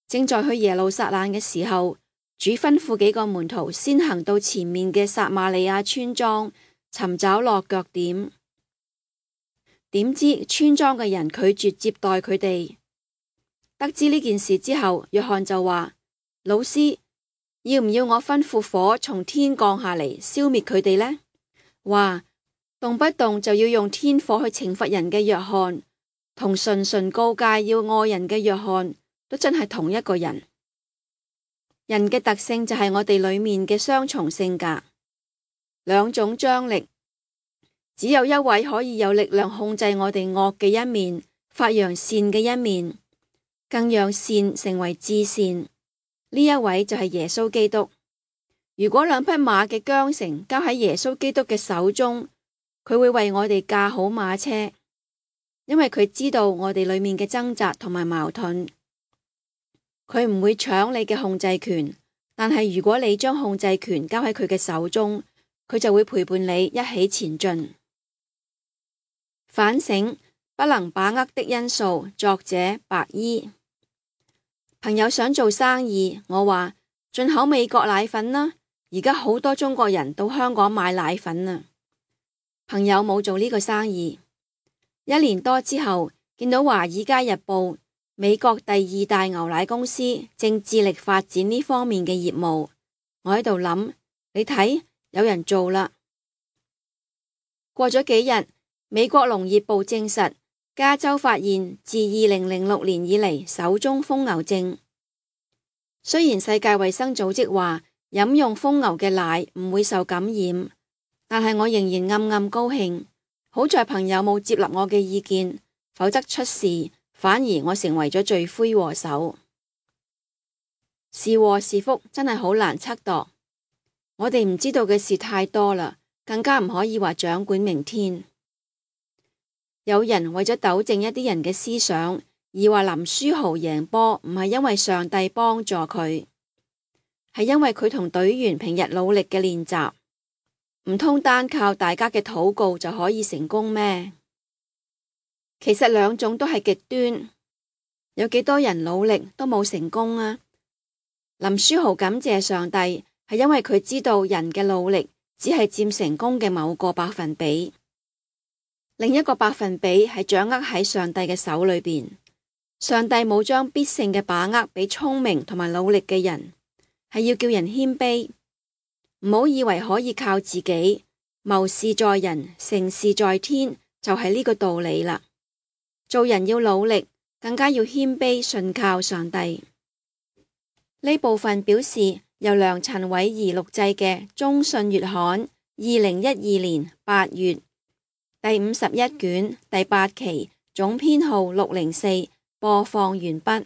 正在去耶路撒冷嘅時候，主吩咐幾個門徒先行到前面嘅撒瑪利亞村莊尋找落腳點。點知村莊嘅人拒絕接待佢哋。得知呢件事之後，約翰就話：老師，要唔要我吩咐火從天降下嚟消滅佢哋呢？話動不動就要用天火去懲罰人嘅約翰，同純純告誡要愛人嘅約翰，都真係同一個人。人嘅特性就係我哋裏面嘅雙重性格，兩種張力，只有一位可以有力量控制我哋惡嘅一面，發揚善嘅一面，更讓善成為至善。呢一位就係耶穌基督。如果兩匹馬嘅韁繩交喺耶穌基督嘅手中，佢會為我哋駕好馬車，因為佢知道我哋裏面嘅掙扎同埋矛盾。佢唔會搶你嘅控制權，但係如果你將控制權交喺佢嘅手中，佢就會陪伴你一起前進。反省不能把握的因素，作者白衣。朋友想做生意，我話進口美國奶粉啦，而家好多中國人到香港買奶粉啊。朋友冇做呢個生意。一年多之後，見到《華爾街日報》美國第二大牛奶公司正致力發展呢方面嘅業務，我喺度諗，你睇，有人做啦。過咗幾日，美國農業部證實，加州發現自二零零六年以嚟首宗瘋牛症。雖然世界衛生組織話飲用瘋牛嘅奶唔會受感染，但係我仍然暗暗高興，好在朋友冇接納我嘅意見，否則出事。反而我成為咗罪魁禍首。是禍是福真係好難測度，我哋唔知道嘅事太多啦，更加唔可以話掌管明天。有人為咗糾正一啲人嘅思想，而話林書豪贏波唔係因為上帝幫助佢，係因為佢同隊員平日努力嘅練習。唔通單靠大家嘅禱告就可以成功咩？其實兩種都係極端，有幾多人努力都冇成功啊。林書豪感謝上帝，係因為佢知道人嘅努力只係佔成功嘅某個百分比，另一個百分比係掌握喺上帝嘅手裏邊。上帝冇將必勝嘅把握俾聰明同埋努力嘅人，係要叫人謙卑，唔好以為可以靠自己。謀事在人，成事在天，就係呢個道理啦。做人要努力，更加要謙卑，信靠上帝。呢部分表示由梁陳偉儀錄製嘅《中信月刊》二零一二年八月第五十一卷第八期總編號六零四播放完畢。